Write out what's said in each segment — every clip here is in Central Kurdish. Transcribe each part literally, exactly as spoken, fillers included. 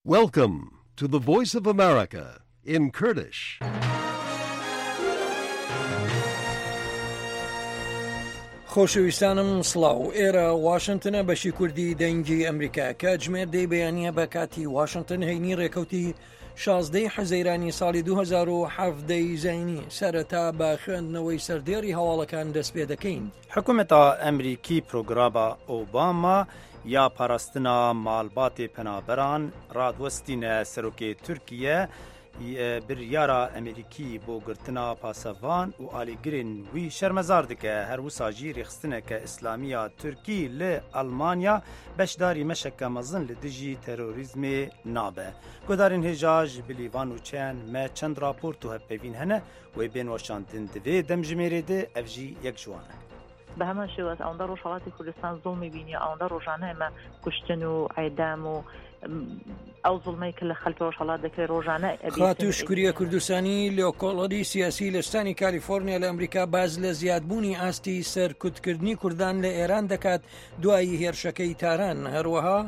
Welcome to the Voice of America in Kurdish. خۆشەویستانم سڵاو ئێرە واشنگتنە بەشی کوردی دەنگی ئەمریکا کاتژمێر دەی بەیانیە بە کاتی واشنگتن هەینی ڕێکەوتی شازدەی حەزەیرانی ساڵی دوو هەزار و حەڤدە ی زایینی سەرەتا بە خوێندنەوەی سەردێڕی هەواڵەکان دەست پێ دەکەین. حکومەتا ئەمریکی پرۆگراما ئۆباما یا پاراستنا مالباتێ پەنابەران رادوەستینە سەرۆکێ تورکیە بریارا ئەمریکی بۆ گرتنا پاسەڤان و ئالیگرێن وی شەرمەزار دکە. هەروسا ژی رێخستنەکە ئیسلامییا تورکی ل ئەلمانیا بەشداری مەشەکە مەزن ل دژی تێرۆریزمێ نابە. گۆدارێن هێژا ژ بلی ڤان نوچەیان مە چەند راپۆرت و هەڤپەیڤین هەنە وێ بێن وەشاندن دڤێ دەمژمێرێ دە ئەڤ ژی یەک ژ وانە. بە هەمان شێواز ئەوەندە ڕۆژهەڵاتی کوردستان زوڵمی بینی، ئەوەندە ڕۆژانە ئێمە کوشتن و عێدام و ئەو زوڵمەی کە لە خەڵکی ڕۆژهەڵات دەکرێت ڕۆژانە ئەبیسن. خاتوو شکریە کوردستانی لێکۆڵەری سیاسی لە ستانی کالیفۆرنیا لە ئەمریکا باس لە زیادبوونی ئاستی سەرکوتکردنی کوردان لە ئێران دەکات دوای هێرشەکەی تاران. هەروەها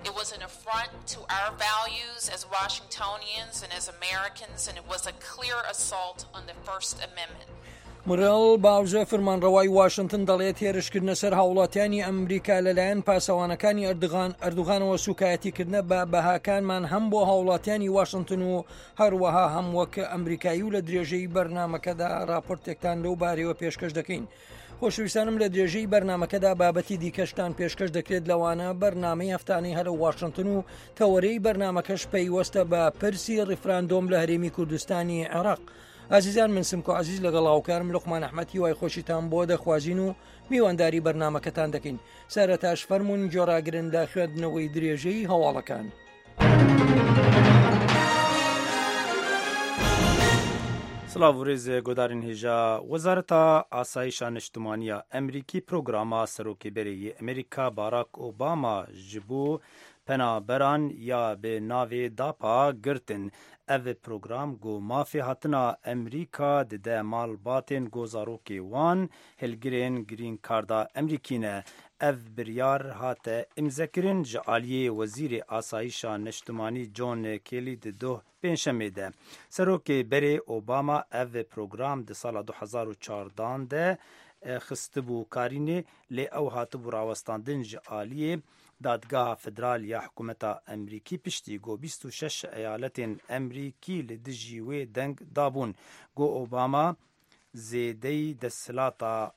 It was an affront to our values as Washingtonians and as Americans, and it was a clear assault on the First Amendment. مورێل باوزە فرمانڕەوای واشنتن دەڵێت هێرشکردنە سەر هاوڵاتیانی ئەمریکا لەلایەن پاسەوانەکانی ئەردوغان ئەردوغانەوە سوکایەتیکردنە بە بەهاکانمان هەم بۆ هاوڵاتیانی واشنتن و هەروەها هەم وەک ئەمریکایی و لە درێژەی بەرنامەکەدا راپۆرتێکتان لەو بارەیەوە پێشکەش دەکەین. خۆشەویستانم لە درێژەی بەرنامەکەدا بابەتی دیکەشتان پێشکەش دەکرێت لەوانە بەرنامەی هەفتانەی هەرە واشنتن و تەوەرەی بەرنامەکەش پەیوەستە بە پرسی ڕیفراندۆم لە هەرێمی کوردستانی عێراق. ئازیزان من سمکۆ عزیز لەگەڵ هاوکارم لوقمان ئەحمەد هیوای خۆشیتان بۆ دەخوازین و میوانداری بەرنامەکەتان دەکەین. سەرەتاش فەرمونون گۆڕاگرن لە خوێندنەوەی درێژەی هەواڵەکان. سڵاو و رێز گۆدارین هێژا وەزارەتا ئاسایشا نیشتمانیا ئەمریکی پرۆگراما سەرۆکê berê yê Amerîka Barack Obama ji bo penaberan ya bi navê DAPA girtin. Ev program got mafê hatina Amerîka dide malbatên got zarokê wan hilgirên green card'a Amerîkî ne. Ev biryar hate imzekirin ji aliyê Wezîrê Asayişa Niştimanî John Kelly di doh pêncşemê de. Serokê berê Obama ev program di sala du hezar û çardan de xistibû karînê lê ew hatibû rawestandin ji aliyê Dadgeha Federal ya Hikûmeta Amerîkî piştî got bîst û şeş eyaletên Amerîkî li dijî wê deng dabûn. Got Obama zêdeyî desthilata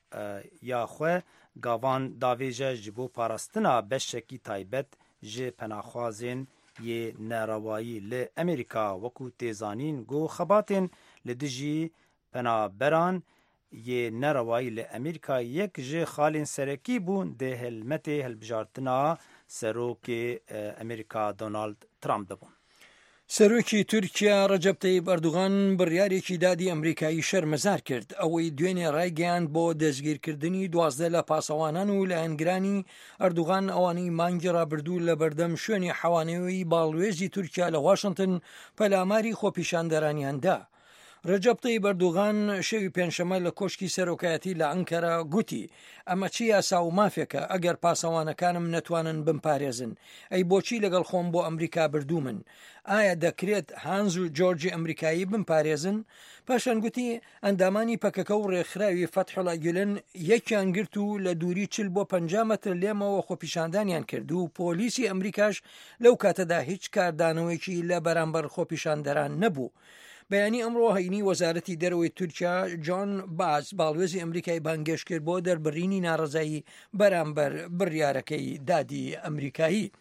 ya xwe gavan davêje ji bo parastina beşekî taybet ji penaxwazên yê nerewayî li Amerîka wekû tê zanîn got xebatên li dijî penaberan yê nerewayî li Amerîka yek ji xalên serekî bûn di helmetê hilbijartina serokê Amerîka Donald Trump de bûn. سەرۆکی تورکیا ڕەجەب تەیب ئەردوغان بڕیارێکی دادی ئەمریکایی شەرمەزار کرد ئەوەی دوێنێ ڕایگەیاند بۆ دەستگیرکردنی دوازدە لە پاسەوانان و لایەنگرانی ئەردوغان ئەوانەی مانگی ڕابردوو لە بەردەم شوێنی حەوانەوەی باڵوێزی تورکیا لە واشنگتن پەلاماری خۆپیشاندەرانیان دا. ڕەجەب تەیب ئەردوغان شەوی پێنجشەممە لە کۆشکی سەرۆکایەتی لە ئەنکەرە گوتی ئەمە چی یاسا و مافێکە ئەگەر پاسەوانەکانم نەتوانن بمپارێزن؟ ئەی بۆچی لەگەڵ خۆم بۆ ئەمریکا بردوومن؟ ئایا دەکرێت هانز و جۆرجی ئەمریکایی بمپارێزن؟ پاشان گوتی ئەندامانی پەکەکە و ڕێکخراوی فەتحوڵا گولەن یەکیان گرت و لە دووری چل بۆ پەنجا مەتر لێمەوە خۆپیشاندانیان کرد و پۆلیسی ئەمریکاش لەو کاتەدا هیچ کاردانەوەیەکی لە بەرامبەر خۆپیشاندەران نەبوو. بەیانی ئەمڕۆ هەینی وەزارەتی دەرەوەی تورکیا جۆن باز باڵوێزی ئەمریکای بانگێشت کرد بۆ دەربڕینی ناڕەزایی بەرامبەر بڕیارەکەی دادی ئەمریکایی.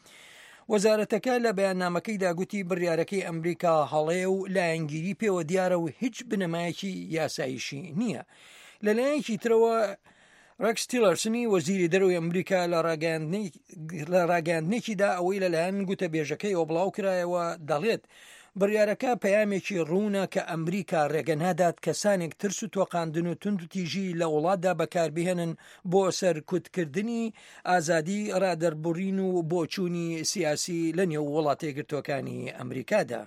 وەزارەتەکە لە بەیاننامەکەیدا گوتی بڕیارەکەی ئەمریکا هەڵەیە و لایەنگیری پێوە دیارە و هیچ بنەمایەکی یاساییشی نییە. لەلایەکی ترەوە ڕێکس تیلەرسنی وەزیری دەرەوەی ئەمریکا لە ڕاگەیاندنێکیدا ئەوەی لەلایەن گوتەبێژەکەیەوە بڵاو کرایەوە دەڵێت بڕیارەکە پەیامێکی ڕوونە کە ئەمریکا ڕێگە نادات کەسانێک ترس و تۆقاندن و تونند و تیژی لە وڵاتدا بەکاربهێنن بۆ سەرکوتکردنی ئازادی ڕادەربڕین و بۆچوونی سیاسی لە نێو وڵاتە یەکگرتووەکانی ئەمریکادا.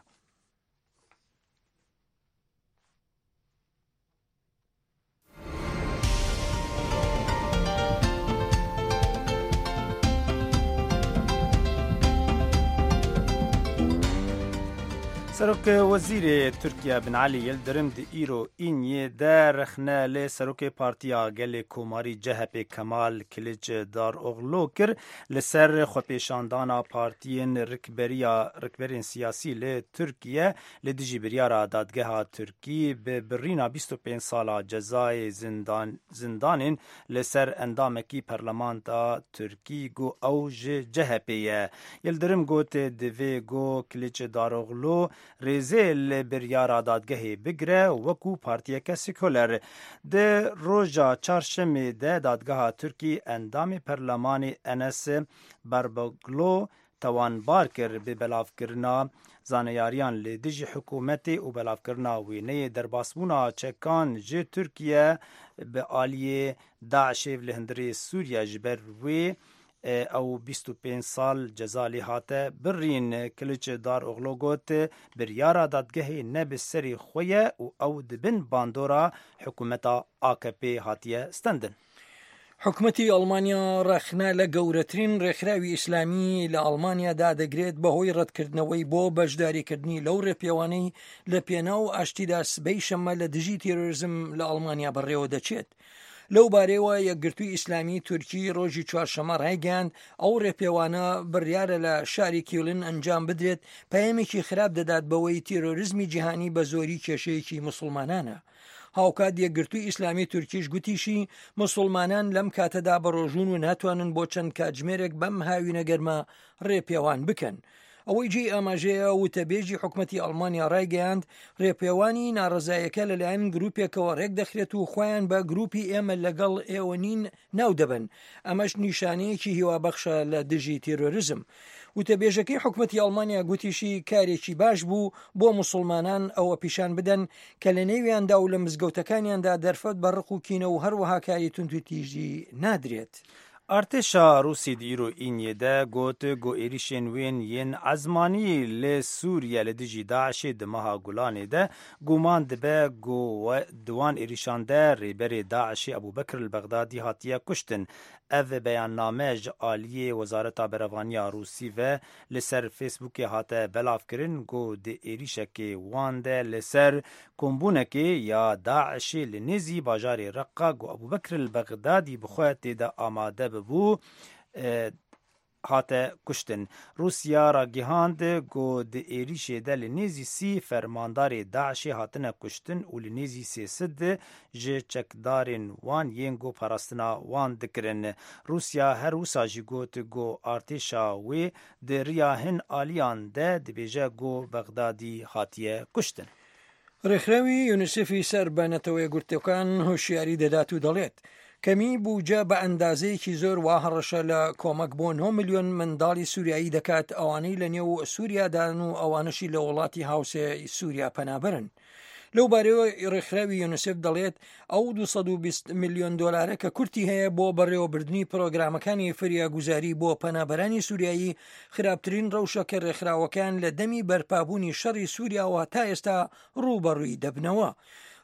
سەرۆک وەزیرê Tirkiye Binali Yildirim di îro îniyê de rexne li Serokê Partiya Gelê Komarî CHP Kemal Kiliçdaroglu kir li ser xwepêşandana partiyên rikberiya rikberên siyasî li Tirkiye li dijî biryara dadgeha Tirkî bi birîna bîst û pênc sala cezayê zindan zindanên li ser endamekî parlamenta Tirkî got ew ji CHP ye. Yildirim got divê got Kiliçdaroglu rêzê li biryara dadgehê bigire wekû partiyeke sekoler. Di roja çarşemê de dadgeha Tirkî endamê perlemanê Enes Berbeglo tawanbar kir bi belavkirina zaneyariyan li dijî hikûmetê û belavkirina wêneyê derbasbûna çekan ji Tirkiye bi aliyê Daişê li hundirê Sûriye ji ber wê ew bîst û pênc sal ceza lê hate birîn. Kiliçdaroglu got biryara dadgehê ne bi serê xwe ye û ew di bin bandora hikûmeta AKP hatiye stendin. حکومەتی ئەڵمانیا ڕەخنە لە گەورەترین ڕێکخراوی ئیسلامی لە ئەڵمانیادا دەگرێت بەهۆی ڕەتکردنەوەی بۆ بەشداریکردنی لەو ڕێپێوانەی لە پێناو ئاشتیدا سبەی شەممە لە دژی تیرۆریزم لە ئەڵمانیا بەڕێوە دەچێت. لەو بارەیەوە یەکگرتووی ئیسلامی تورکی ڕۆژی چوارشەممە ڕایگەیاند ئەو ڕێپێوانە بڕیارە لە شاری کیولن ئەنجام بدرێت پەیامێکی خراپ دەدات بەوەی تیرۆریزمی جیهانی بە زۆری کێشەیەکی مسلمانانە. هاوکات یەکگرتووی ئیسلامی تورکیش گوتیشی مسلمانان لەم کاتەدا بەڕۆژوون و ناتوانن بۆ چەند کاتژمێرێک بەم هاوینە گەرمە ڕێپێوان بکەن. ئەوەی جێی ئاماژەیە وتەبێژی حکومەتی ئەڵمانیا ڕایگەیاند ڕێپێوانی ناڕەزایەکە لەلایەن گروپێکەوە ڕێک دەخرێت و خۆیان بە گروپی ئێمە لەگەڵ ئێوە نین ناو دەبن. ئەمەش نیشانەیەکی هیوابەخشە لە دژی تیرۆریزم. وتەبێژەکەی حکومەتی ئەڵمانیا گوتیشی کارێکی باش بوو بۆ مسلمانان ئەوە پیشان بدەن کە لە نێویاندا و لە مزگەوتەکانیاندا دەرفەت بە ڕق و کینە و هەروەها کاری توندوتیژی نادرێت. Artêşa Rûsî di îro îniyê de got ku êrişên wên yên ezmanî li Sûriye li dijî Daişê di meha Gulanê de guman dibe ku di wan êrişan de rêberê Daişê Ebûbekir el-Bexdadî hatiye kuştin. Ev beyanname ji aliyê Wezareta Berevaniya Rûsî ve li ser Facebookê hate belavkirin ku di êrişekê wan de li ser kombûnekê ya Daişê li nêzî bajarê Reqqa ku Ebûbekir el-Bexdadî bi xwe tê de amade bû hate kuştin. Rûsya ragihand ku di êrişê de li nêzî sî fermandarê Daişê hatine kuştin û li nêzî sê sed ji çekdarên wan yên ku parastina wan dikirin. Rûsya her wisa jî got ku artêşa wê di riya hin aliyan de dibêje ku Bexdadî hatiye kuştin. ڕێکخراوی یونیسێفی سەر بە نەتەوە یەکگرتووەکان هۆشیاری دەدات و دەڵێت کەمی بودجە بە ئەندازەیەکی زۆر وا هەڕەشە لە کۆمەک بۆ نۆ ملیۆن منداڵی سووریایی دەکات ئەوانەی لە نێو سووریادان و ئەوانەشی لە وڵاتی هاوسێ سووریا پەنابەرن. لەو بارەیەوە ڕێکخراوی یونیسێف دەڵێت ئەو دوو سەد و بیست ملیۆن دۆلارە کە کورتی هەیە بۆ بەڕێوەبردنی پرۆگرامەکانی فریاگوزاری بۆ پەنابەرانی سووریایی خراپترین ڕەوشە کە ڕێکخراوەکان لە دەمی بەرپابوونی شەڕی سووریاوە تا ئێستا ڕووبەڕووی دەبنەوە.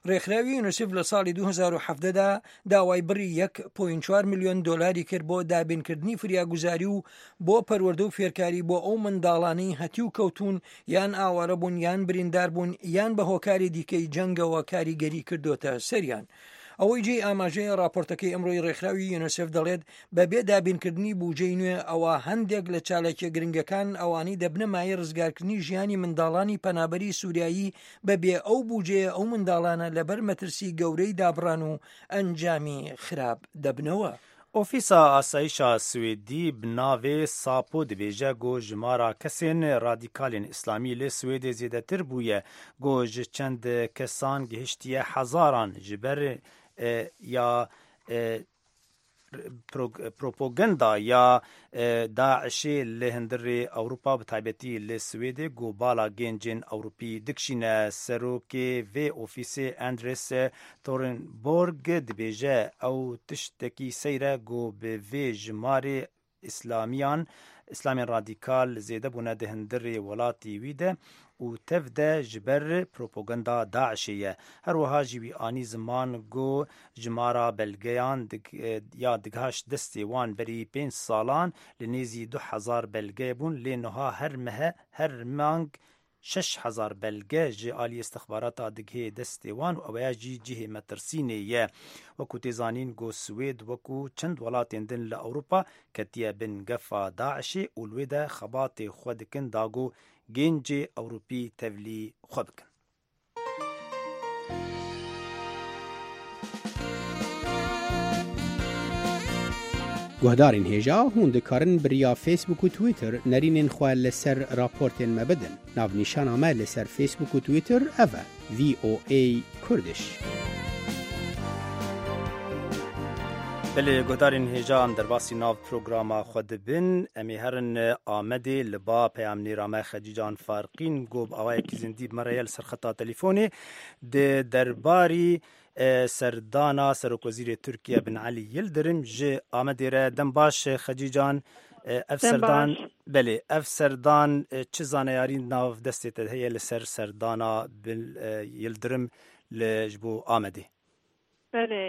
ڕێکخراوی یونیسێف لە ساڵی دوو هەزار و حەڤدە دا داوای بڕی یەک پۆینت چوار ملیۆن دۆلاری کرد بۆ دابینکردنی فریاگوزاری و بۆ پەروەردە و فێرکاری بۆ ئەو منداڵانەی هەتیو کەوتون یان ئاوارە بوون یان بریندار بوون یان بە هۆکاری دیکەی جەنگەوە کاریگەری کردوتە سەریان. ئەوەی جێی ئاماژەیە راپۆرتەکەی ئەمڕۆی ڕێکخراوی یونیسێف دەڵێت بەبێ دابینکردنی بودجەی نوێ ئەوە هەندێک لە چالاکیە گرنگەکان ئەوانەی دەبنە مایەی ڕزگارکردنی ژیانی منداڵانی پەنابەری سووریایی بەبێ ئەو بودجەیە ئەو منداڵانە لەبەر مەترسی گەورەی دابڕان و ئەنجامی خراپ دەبنەوە. ئۆفیسا ئاسایشا سوێدی bi navê Sapo dibêje ku jimara kesên radîkalên Îslamî li Swêdê zêdetir bûye ku ji çend kesan gihiştiye hezaran ji ber ya propaganda ya Daişê li hundirê Ewropa bi taybetî li Swêdê ku bala gencên Ewropî dikişîne. Serokê vê ofîsê Andres Thornborg dibêje ew tiştekî seyr e ku bi vê jimarê İslamiyan İslamên radîkal zêde bûne di hundirê welatî wî de û tev de ji ber propaganda Daişê ye. Her wiha jî wî anî ziman ku jimara belgeyan ya digihaşt destê wan berî pênc salan li nêzî du hezar belge bûn lê niha her mehe her mang شەش هەزار بەلگە ji aliyê istixbarata digihê destê wan û eweya jî cihê metirsînê ye. Wekû tê zanîn got Swêd wekû çend welatên din li Ewropa ketiye bin gefa Daişê û li wê de xebatê xwe dikin da ku gêncê Ewropî tevlî xwe bikin. Guhdarên hêja hûn dikarin bi riya Facebook û Twitter nerînên xwe li ser raportên me bidin. Navnîşana me li ser Facebook û Twitter ev e V O A Kurdish. Belê guhdarên hêja em derbasî nav programa xwe dibin. Em ê herin Amedê li ba peyamnêra me Xecîcan Farqîn got bi awayekî zindî bi me re ye li ser xeta telefонê di derbarî serdana Serokwezîrê Tirkiye Binali Yildirim ji Amedê re. Dem baş Xecîcan, ev serdan belê ev serdan çi zaneyarî nav destê te heye li ser serdana Yildirim li ji bo Amedê? Belê,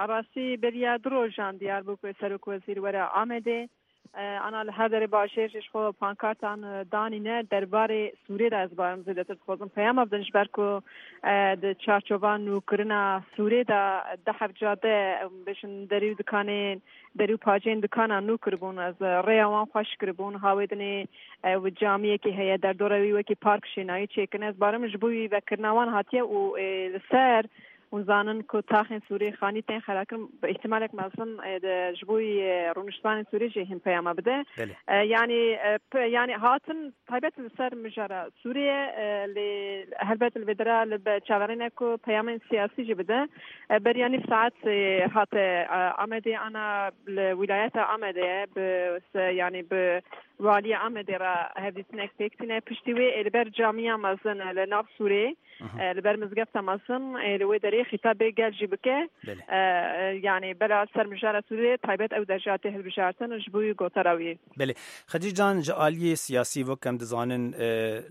rastî beriya du rojan diyar bû ku Serokwezîr were Amedê. Ana li her derê bajêr ji xwe pankartan danîne derbarê Sûrê de ez barim zêdetir dixwazim peyama bidin ji ber ku di çarçova nûkirina Sûrê de deh heft cade bêjin derî û dikanên derî û paceyên dikana nû kiribûn ez rêya wan xweş kiribûn hawê dinê ew camiyekî heye derdora wî wekî park şênayî çêkirine ez barim ji bo wî vekirina wan hatiye û li ser hûn zanin ku taxên Sûrê xanî tên xerakirin bi îhtimalek mezin ji bo rûniştvanên Sûrê jî hin peyama bide. Yani yani hatin taybet li ser mijara Sûriye lê helbet li vê dera li çaverêne ku peyamên siyasî jî bide. Beriya nîv saet hate Amedê ana li wîlayeta Amedê bi yani bi Waliya Amedê re hevdîtinek pêk tîne. Piştî wê li ber camiya mezin li nav Sûrê li ber mizgefta mezin li wê derê xîtabê gel jî bike. Yani bela ser mijara Sûrê taybet ew derja tê hilbijartin ji bo wî gotara wî. Belê Xecîcan ji aliyê siyasî wek em dizanin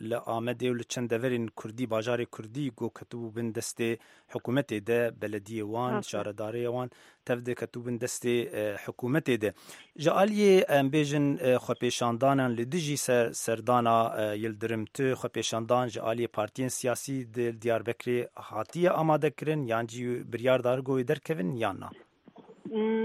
li Amedê û li çend deverên Kurdî bajarê Kurdî got ketibû bin destê hikûmetê de belediyê wan şaredarê wan tev de ketibû bin destê hikûmetê de. Ji aliyê em bêjin xwepêşandanan li dijî serdana Yildirim tu xwepêşandan ji aliyê partiyên siyasî di Diyarbekirê hatiye amadekirin yan jî biryar dargoyê derkevin yan na?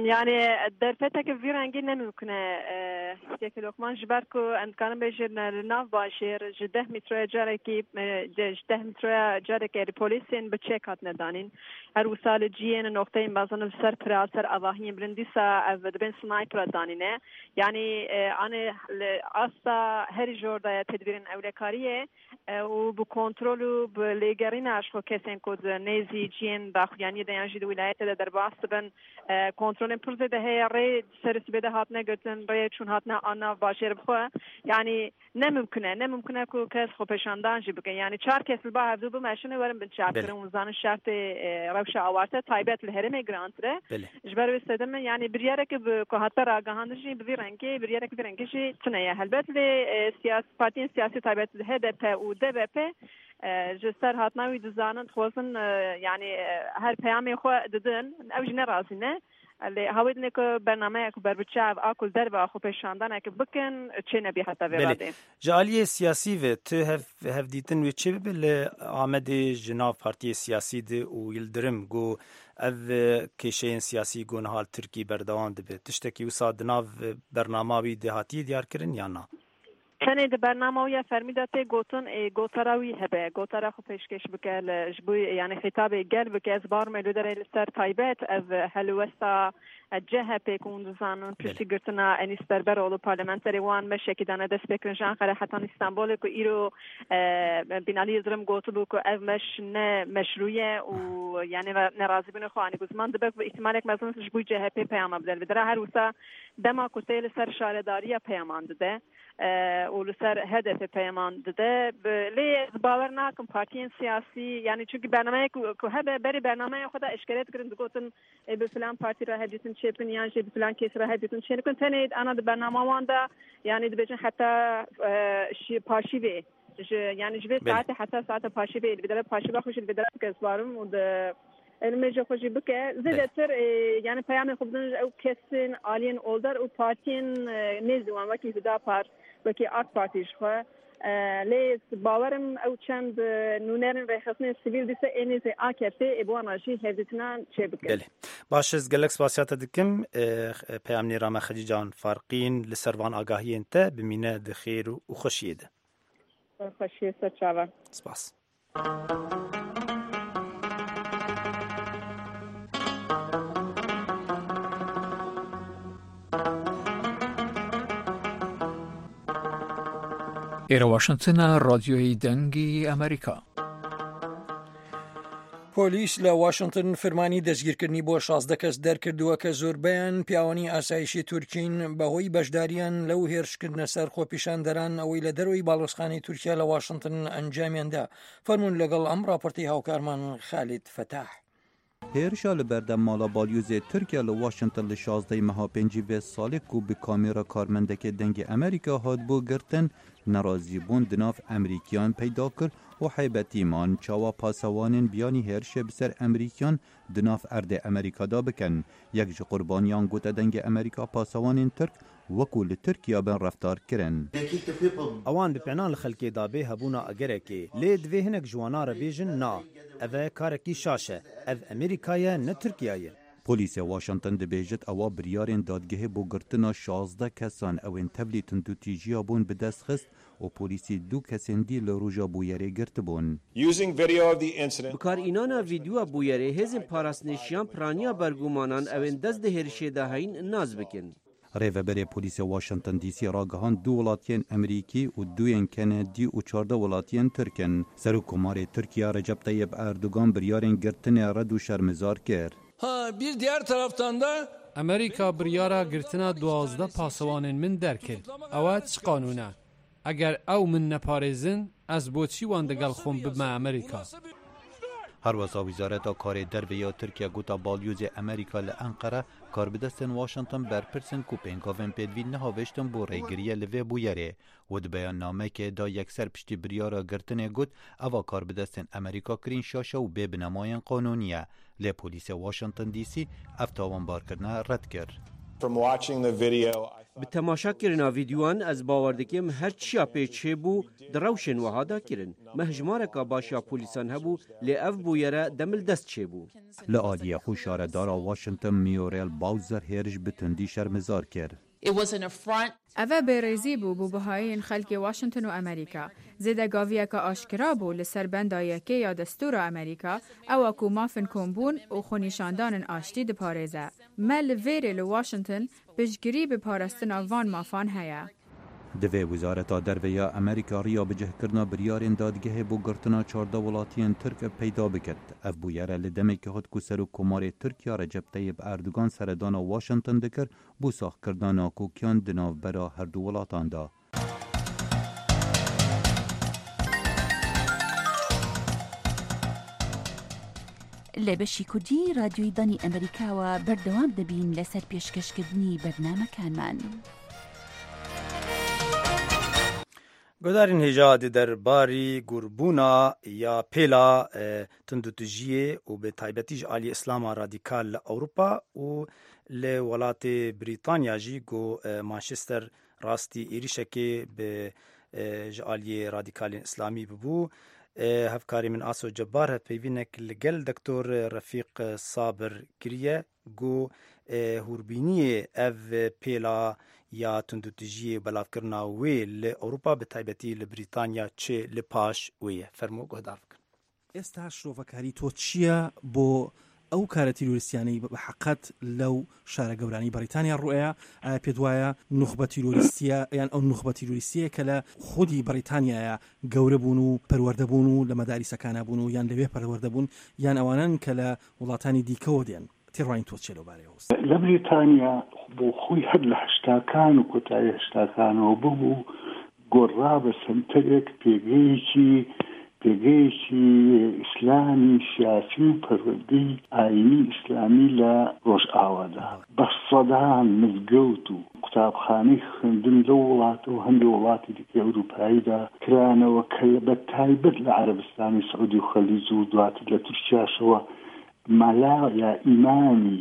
Yani derfeteke vî rengî ne mümkün e Kekê Lokman ji ber ku em dikarin bêjin li nav bajêr ji deh mîtroya carekî ji deh mîtroya carekê li polîsên bi çek hatine danîn. Her wisa li ciyên nokteyên mezin li ser pira ser avahiyên bilind dîsa ev dibên sniper danîne. Yani anê li asta herî jor de tedbîrên ewlekariyê û bi kontrol û bi lêgerîna ji xwe kesên ku di nêzî ciyên daxuyaniyê de yan jî di wîlayetê de derbas dibin kontrolên pir zêde heye rê serê sibê de hatine girtin rê çûn hatine ana bajêr bi xwe yani ne mümkün e ne mümkün e ku kes xwepêşandan jî bikin yani çar kes li ba hevdû bimeşin werin binçavkirin û zanin şertê rewşa awarte taybet li herêmê girantir e ji ber wê sedemê yani biryareke ku hate ragihandin jî bi vî rengê biryareke vî rengê jî tune ye helbet lê siyasî partiyên siyasî taybet H D P û D B P ji ser hatina wî dizanin dixwazin yani her peyamê xwe didin ew jî nerazî ne lê hawê dinê ku bernameya ku berbiçav a ku li derve xwepêşandaneke bikin çê nebî heta vê radê. Ji aliyê siyasî ve tu hev hevdîtin wê çê bibe li Amedê ji nav partiyê siyasî de û Yildirim got ev kêşeyên siyasî got niha li Tirkî berdewam dibe. Tiştekî wisa di nav bernama wî de hatiye diyarkirin yan na? Tenê di bernama wî ya fermî de tê gotin gotara wî hebe gotara xwe pêşkêş bike ji bo yani xîtabê gel bike ez barim li derê li ser taybet ev helwesta C H P ku hûn dizanin piştî girtina Enîs Berberoğlu parlamenterê wan meşekî dane destpêkirin ji Enqere heta Îstanbulê ku îro Binali Yildirim gotibû ku ev meş ne meşrû ye û yani nerazîbûnê xwe anî ziman dibe ku îhtimalek mezin ji bo C H P peyama bide li dera her wisa dema ku tê li ser şaredariya peyaman dide û li ser H D P peyaman dide lê ez bawer nakim partiyên siyasî yani çünkü bernameyek ku hebe berê bernameya xwe de eşkere dikirin digotin bi filan partî re hevdîtin çêbin yan jî bi filan kes re hevdîtin çênikin tenê ana di bernama wan de yani dibêjin heta paşîvê ji yani ji vê saetê heta saeta paşîvê li dere paşîva xwe jî li dere bike ez barim û di elmêje xwe jî bike zêdetir yani peyamên xwe bidin ew kesên aliyên oldar û partiyên nêzî wan wekî Hüdapar wekî AK Partî ji xwe لێ باوەرم ئەو چەند نوێنەرên rêxistinên sivîl dîsa ê nêzî AKP ê bi wan re jî hevdîtinan çêbikin. Belê. Baş ez gelek spasiya te dikim peyamnêra me Xedîcan Farqîn li ser van agahiyên te bimîne di xêr û xweşiyê de. Xweşiyê ser çavan. Spas. ئێرە واشنگتنە، ڕادیۆی دەنگی ئەمریکا. پۆلیس لە واشنگتن فرمانی دەستگیرکردنی بۆ شازدە کەس دەرکردووە کە زۆربەیان پیاوانی ئاسایشی تورکین بەهۆی بەشداریان لەو هێرشکردنە سەر خۆپیشاندەران ئەوەی لە دەرەوەی باڵۆزخانەی تورکیا لە واشنگتن ئەنجامیاندا. فەرمونون لەگەڵ ئەم راپۆرتی هاوکارمان خالید فەتاح. هێرشا li berdem mala balyozê Tirkiye li Washington li şazdeh meha pêncî vê salê ku bi kamêra karmendekê dengê Amerîka hatibû girtin, nerazîbûn di nav Amerîkiyan peyda kir û heybetî man çawa pasewanên biyanî hêrişê bi ser Amerîkiyan di nav erdê Amerîka da bikin. Yek ji qurbaniyan gote dengê Amerîka pasewanên Tirk wekû li Tirkiya bin reftar kirin. Ewan bi pênan li xelkê dabê hebûna egerekê lê divê hinek ji wana re bêjin na. Ev e karekî şaş e. Ev Amerîka ye ne Tirkiye ye. Polîsê Washington dibêjit ewa biryarên dadgehê bo girtina şazdeh kesan ew ên tevlî tundûtîjiya bûn bi dest xist û polîsî du kesên dî li roja bûyerê girtibûn. Bikarînana vîdyoya bûyerê hêzên parastinêşiyan piraniya bergumanan ew ên dest di hêrişê de heyîn nas bikin. Rêveberê polîsê Washington D C ragihand du welatiyên Amerîkî û duyên Kenedî û çardeh welatiyên Tirk in. Serokkomarê Tirkiye Recep Tayyip Erdogan biryarên girtinê red û şermezar kir. Ha bir diğer taraftan da Amerîka biryara girtina duwazdeh pasewanên min derkir. Ew çi qanûn e? Eger ew min neparêzin, ez bo çi wan digel xwe bibime Amerîka? Herwesa Wezareta Karê Derve ya Tirkiye gota balyozê Amerîka li Enqere karbidestên Washington berpirsin ku pêngavên pêdivî nehavêştin bo rêgiriye li vê bûyerê û di beyannameyekê da yekser piştî biryara girtinê got eva karbidestên Amerîka kirîn şaşe û bê binemayên qanûnî ye. Lê polîsê Washington D C ev tawanbarkirine red kir. Bi temaşakirina vîdyoyan ez bawer dikim her çiya pê çêbû di rewşên wiha de kirin. Me hejmareka baş ya polîsan hebû lê ev bûyere demil dest çêbû. Li aliyê xwe şaredara Washington Muriel Bowser hêriş bi tundî şermezar kir. Ev bêrêzî bû bû bihayên xelkê Washington û Amerîka. Zêdegaviyeka aşkera bû li ser benda yekê ya destûra Amerîka ew ku mafên kombûn û xwenîşandanên aştî diparêze. Me li vêrê li Washington piştgirî bi parastina van mafan heye. Divê Wezareta Derve ya Amerîka riya bicihkirina biryarên dadgehê bo girtina çardeh welatiyên Tirk peyda biket. Ev bûyere li demekê hat ku Serokkomarê Tirkiye Recep Tayyip Erdogan seredana Washington dikir bo saxkirina nakokiyan di navbera her du welatan de. لە بەشی کوردی رادیۆی دەنگی ئەمریکاوە بەردەوام دەبین لەسەر پێشکەشکردنی بەرنامەکانمان. گۆدارین هێژا di derbarî gurbûna ya pêla tundûtijiyê û bi taybetî ji aliyê Îslama radîkal li Ewropa û li welatê Brîtanya jî ku Manchester rastî êrişekê bi ji aliyê radîkalên Îslamî bûbû. Hevkarê min Aso Cebar hevpeyvînek li gel Doktor Refîq Sabir kiriye ku hûrbîniyê ev pêla ya tundûtijiyê û belavkirina wê li Ewropa bi taybetî li Brîtanya çi li paş wê ye. Fermo guhdar bikin. ئێستا شرۆڤەکاری تۆ چییە بۆ ئەو کارە تیرۆریستیانەی بە حەقەت لەو شارە گەورانی بەریتانیا ڕوئەیە؟ ئایا پێت وایە نوخبە تیرۆریستیە یان ئەو نوخبە تیرۆریستیە کە لە خودی بەریتانیایە گەورە بوون و پەروەردە بوون و لە مەداریسەکانە بوون و یان لەوێ پەروەردە بوون یان ئەوانن کە لە وڵاتانی دیکەوە دێن؟ تێڕوانین تۆ چیە لەو بارەیەوە؟ لە بریتانیا بۆ خۆی هەر لە هەشتاکان و کۆتایی هەشتاکانەوە ببوو گۆڕا بە سەنتەرێک پێگەیەکی پێگەیەکی ئیسلامی سیاسی و پەروەردەی ئایینی ئیسلامی لە ڕۆژئاوادا بە سەدان مزگەوت و قوتابخانەی خوێندن لەو وڵاتە و هەندێک وڵاتی دیکەی ئەوروپاییدا کرانەوە کە بە تایبەت لە عەرەبستانی سعودی و خەلیج و دواتر لە تورکیاشەوە مەلا یا ئیمامی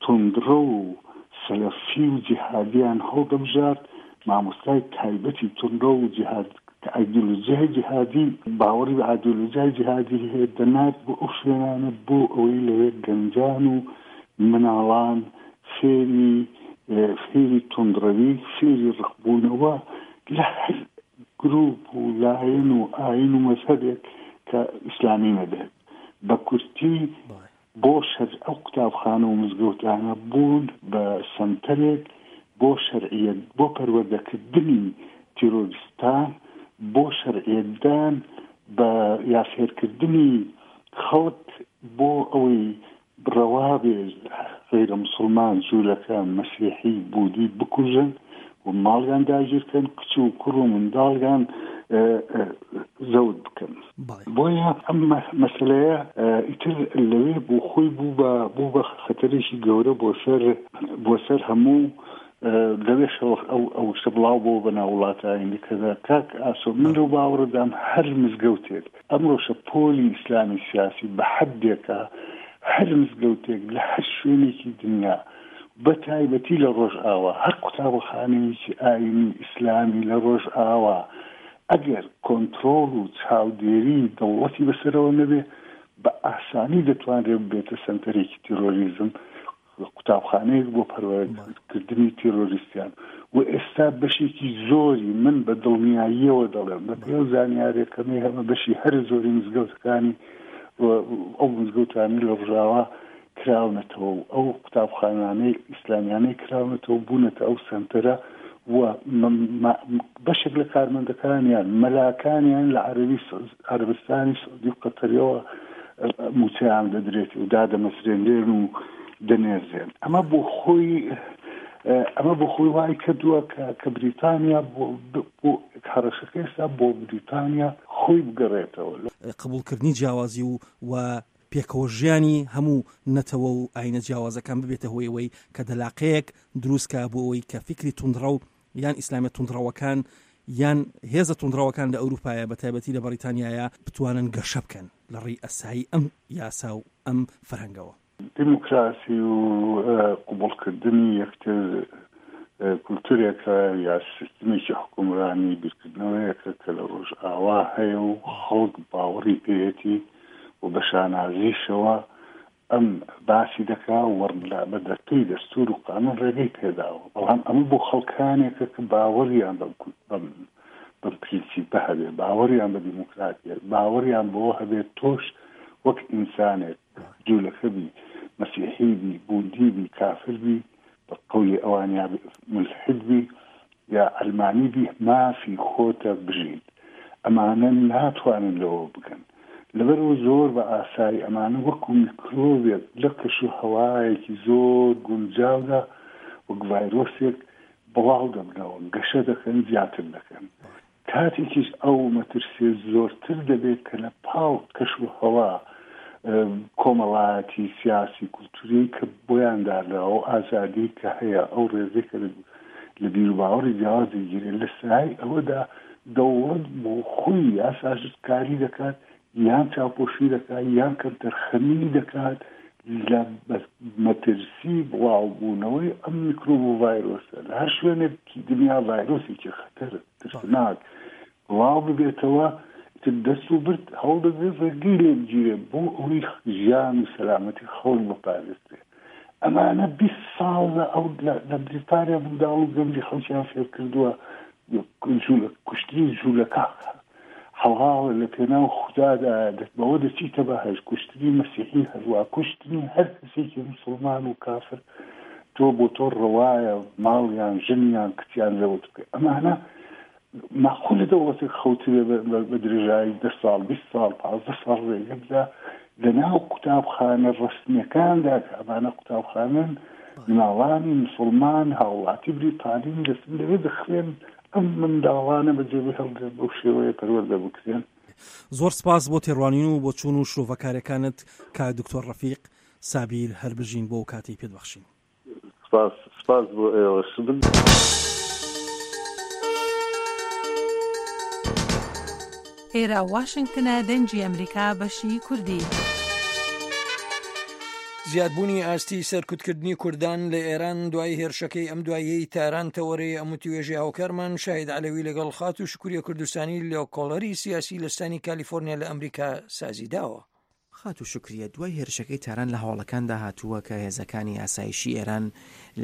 توندڕە و سەلەفی و جیهادیان هەڵدەبژارد، مامۆستای تایبەتی توندڕە و جیهاد کە ئایدۆلۆژیای جیهادی باوەڕی بە ئایدۆلۆژیای جیهادی هەیە دەنارد بۆ ئەو شوێنانە بۆ ئەوەی لەوێ گەنجان و مناڵان فێری فێری توندڕەوی فێری ڕقبوونەوە لە هەر گروپ و لایەن و ئاین و مەزهەبێک کە ئیسلامی نەبێت. بە کورتی بۆ شەر ئەو قوتابخانە و مزگەوتانە بوون بە سەنتەرێک بۆ شەرعیەت بۆ پەروەردەکردنی تیرۆریستان، بۆ شەرعیەتدان بە یا فێرکردنی خەڵک بۆ ئەوەی ڕەوا بێ غەیرە مسوڵمان، جوولەکە، مەسیحی، بودی بکوژن و ماڵیان داگیرکەن، کچ و کوڕ و منداڵیان زەوت بکەن. بۆیە ئەم مەسەلەیە ئیتر لەوێ بۆ خۆی بوو بە بوو بە خەتەرێکی گەورە بۆ سەر بۆ سەر هەموو لەوێشەوە ئەو ئەو شتە بڵاو بۆ بە ناو وڵاتانی دیکەدا. کاک ئاسۆ، من لەو باوەڕەدام هەر مزگەوتێک ئەمڕۆ شەپۆلی ئیسلامی سیاسی بە حەدێکە هەر مزگەوتێک لە هەر شوێنێکی دنیا بە تایبەتی لە ڕۆژئاوا، هەر قوتابخانەیەکی ئایینی ئیسلامی لە ڕۆژئاوا ئەگەر کۆنترۆڵ و چاودێری دەوڵەتی بەسەرەوە نەبێ بە ئاسانی دەتوانرێت ببێتە سەنتەرێکی تیرۆریزم، قوتابخانەیەک بۆ پەروەردەکردنی تیرۆریستیان. و ئێستا بەشێکی زۆری من بە دڵنیاییەوە دەڵێم بە پێی ئەو زانیاریەکەمەی هەمە بەشی هەرە زۆری مزگەوتەکانی ئەو مزگەوتانەی لە ڕۆژئاوا کراونەتەوە و ئەو قوتابخانانەی ئیسلامیانەی کراونەتەوە بوونەتە ئەو سەنتەرە و بەشێک لە کارمەندەکانیان مەلاکانیان لە عەرەبی عەرەبستانی سعودی و قەتەریەوە موچەیان دەدرێت و دادەمەزرێنرێن و دەنێردرێن. ئەمە بۆ خۆی ئەمە بۆ خۆی وای کردووە کە کە بریتانیا بۆ هەڕەشەکە ئێستا بۆ بریتانیا خۆی بگەڕێتەوە. قبوڵکردنی جیاوازی و و پێکەوە ژیانی هەموو نەتەوە و ئاینە جیاوازەکان ببێتە هۆی ئەوەی کە دەلاقەیەک دروست کا بۆ ئەوەی کە فیکری توندڕەو یان ئیسلامیە توندڕەوەکان یان هێزە توندڕەوەکان لە ئەوروپایە بە تایبەتی لە بەڕیتانیایە بتوانن گەشە بکەن لە ڕێی ئەسایی ئەم یاسا و ئەم فەرهەنگەوە. دیموکراسی و قبوڵکردنی یەکتر کولتورێکە یا سیستمێکی حکومرانی بیرکردنەوەیەکە کە لە ڕۆژئاوا هەیە و خەڵک باوەڕی پێیەتی و بە شانازیشەوە ئەم باسی دەکا و بە دەستەی دەستور و قانون ڕێگەی پێداوە. بەڵام ئەمە بۆ خەڵکانێکە کە باوەڕیان بەم بەم پرینسیپە هەبێ، باوەڕیان بە دیموکراتیە، باوەڕیان بەوە هەبێت تۆش وەک ئینسانێک جوولەکە بی، مەسیحی بی، بودی بی، کافر بی، بە قەولی ئەوان یا مولحید بی یا عەلمانی بی، مافی خۆتە بژیت. ئەمانە ناتوانن لەوە بگەن. لەبەرەوە زۆر بە ئاسایی ئەمانە وەکو میکرۆبێک لە کەش و هەوایەکی زۆر گونجاودا وەک ڤایرۆسێک بڵاو دەبنەوە، گەشە دەکەن، زیاتر دەکەن. کاتێکیش ئەو مەترسیە زۆرتر دەبێت کە لە پاڵ کەش و هەوا کۆمەڵایەتی، سیاسی، کولتوری کە بۆیان دانراوە، ئەو ئازادی کە هەیە، ئەو ڕێزەی کە لە بیروباوەڕی جیاواز دەگیرێت، لە سایەی ئەوەدا دەوڵەت بۆ خۆی یاساژکاری دەکات یان چاوپۆشی دەکات یان کەمتەرخەمی دەکات لە مەترسی بڵاوبوونەوەی ئەم میکرۆب و ڤایرۆسە لە هەر شوێنێکی دنیا ڤایرۆسێکی خەتەر ترسناک بڵاو ببێتەوە، ئیتر دەست و برد هەوڵ دەدرێت ڕێگەی لێ بگیرێت بۆ ئەوەی ژیان و سەلامەتی خەڵک بپارێزرێت. ئەمانە بیست ساڵ لە ئەو لە بریتانیا منداڵ و گەنجی خەڵکیان فێر کردووە کوشتنی جوولەکە حەڵاڵە لە پێناو خودادا، بەوە دەچیتە بەهەشت، کوشتنی مەسیحی هەروا، کوشتنی هەر کەسێکی مسوڵمان و کافر تۆ بۆ تۆ ڕەوایە ماڵیان ژنیان کچیان زەوت بکەی. ئەمانە ماقولە دەوڵەتێک خەوتبێ بە درێژایی دە ساڵ بیست ساڵ پازدە ساڵ ڕێگە بدا لە ناو قوتابخانە ڕەسمیەکاندا کە ئەمانە قوتابخانەن مناڵانی مسوڵمان هاوڵاتی بریتانین دەچن لەوێ دەخوێن، ئەم منداڵانە بەجێ بهێڵدرێن بەو شێوەیە پەروەردە بکرێن. زۆر سپاس بۆ تێڕوانین و بۆچوون و شرۆڤەکاریەکانت کاک دکتۆر ڕەفیق سابیر، هەر بژین بۆ ئەو کاتەی پێت بەخشین. سپاس سپاس بۆ ئێوەش. ئێرە واشنگتنە دەنگی ئەمریکا بەشی کوردی. زیادبوونی ئاستی سەرکوتکردنی کوردان لە ئێران دوای هێرشەکەی ئەم دواییەی تاران تەوەرەی ئەم وتوێژی هاوکارمان شاهید عەلەوی لەگەڵ خاتوو شکوریە کوردستانی لێکۆڵەری سیاسی لە ستانی کالیفۆرنیا لە ئەمریکا سازی داوە. خاتوو شوکریە، دوای هێرشەکەی تاران لە هەواڵەکاندا هاتووە کە هێزەکانی ئاسایشی ئێران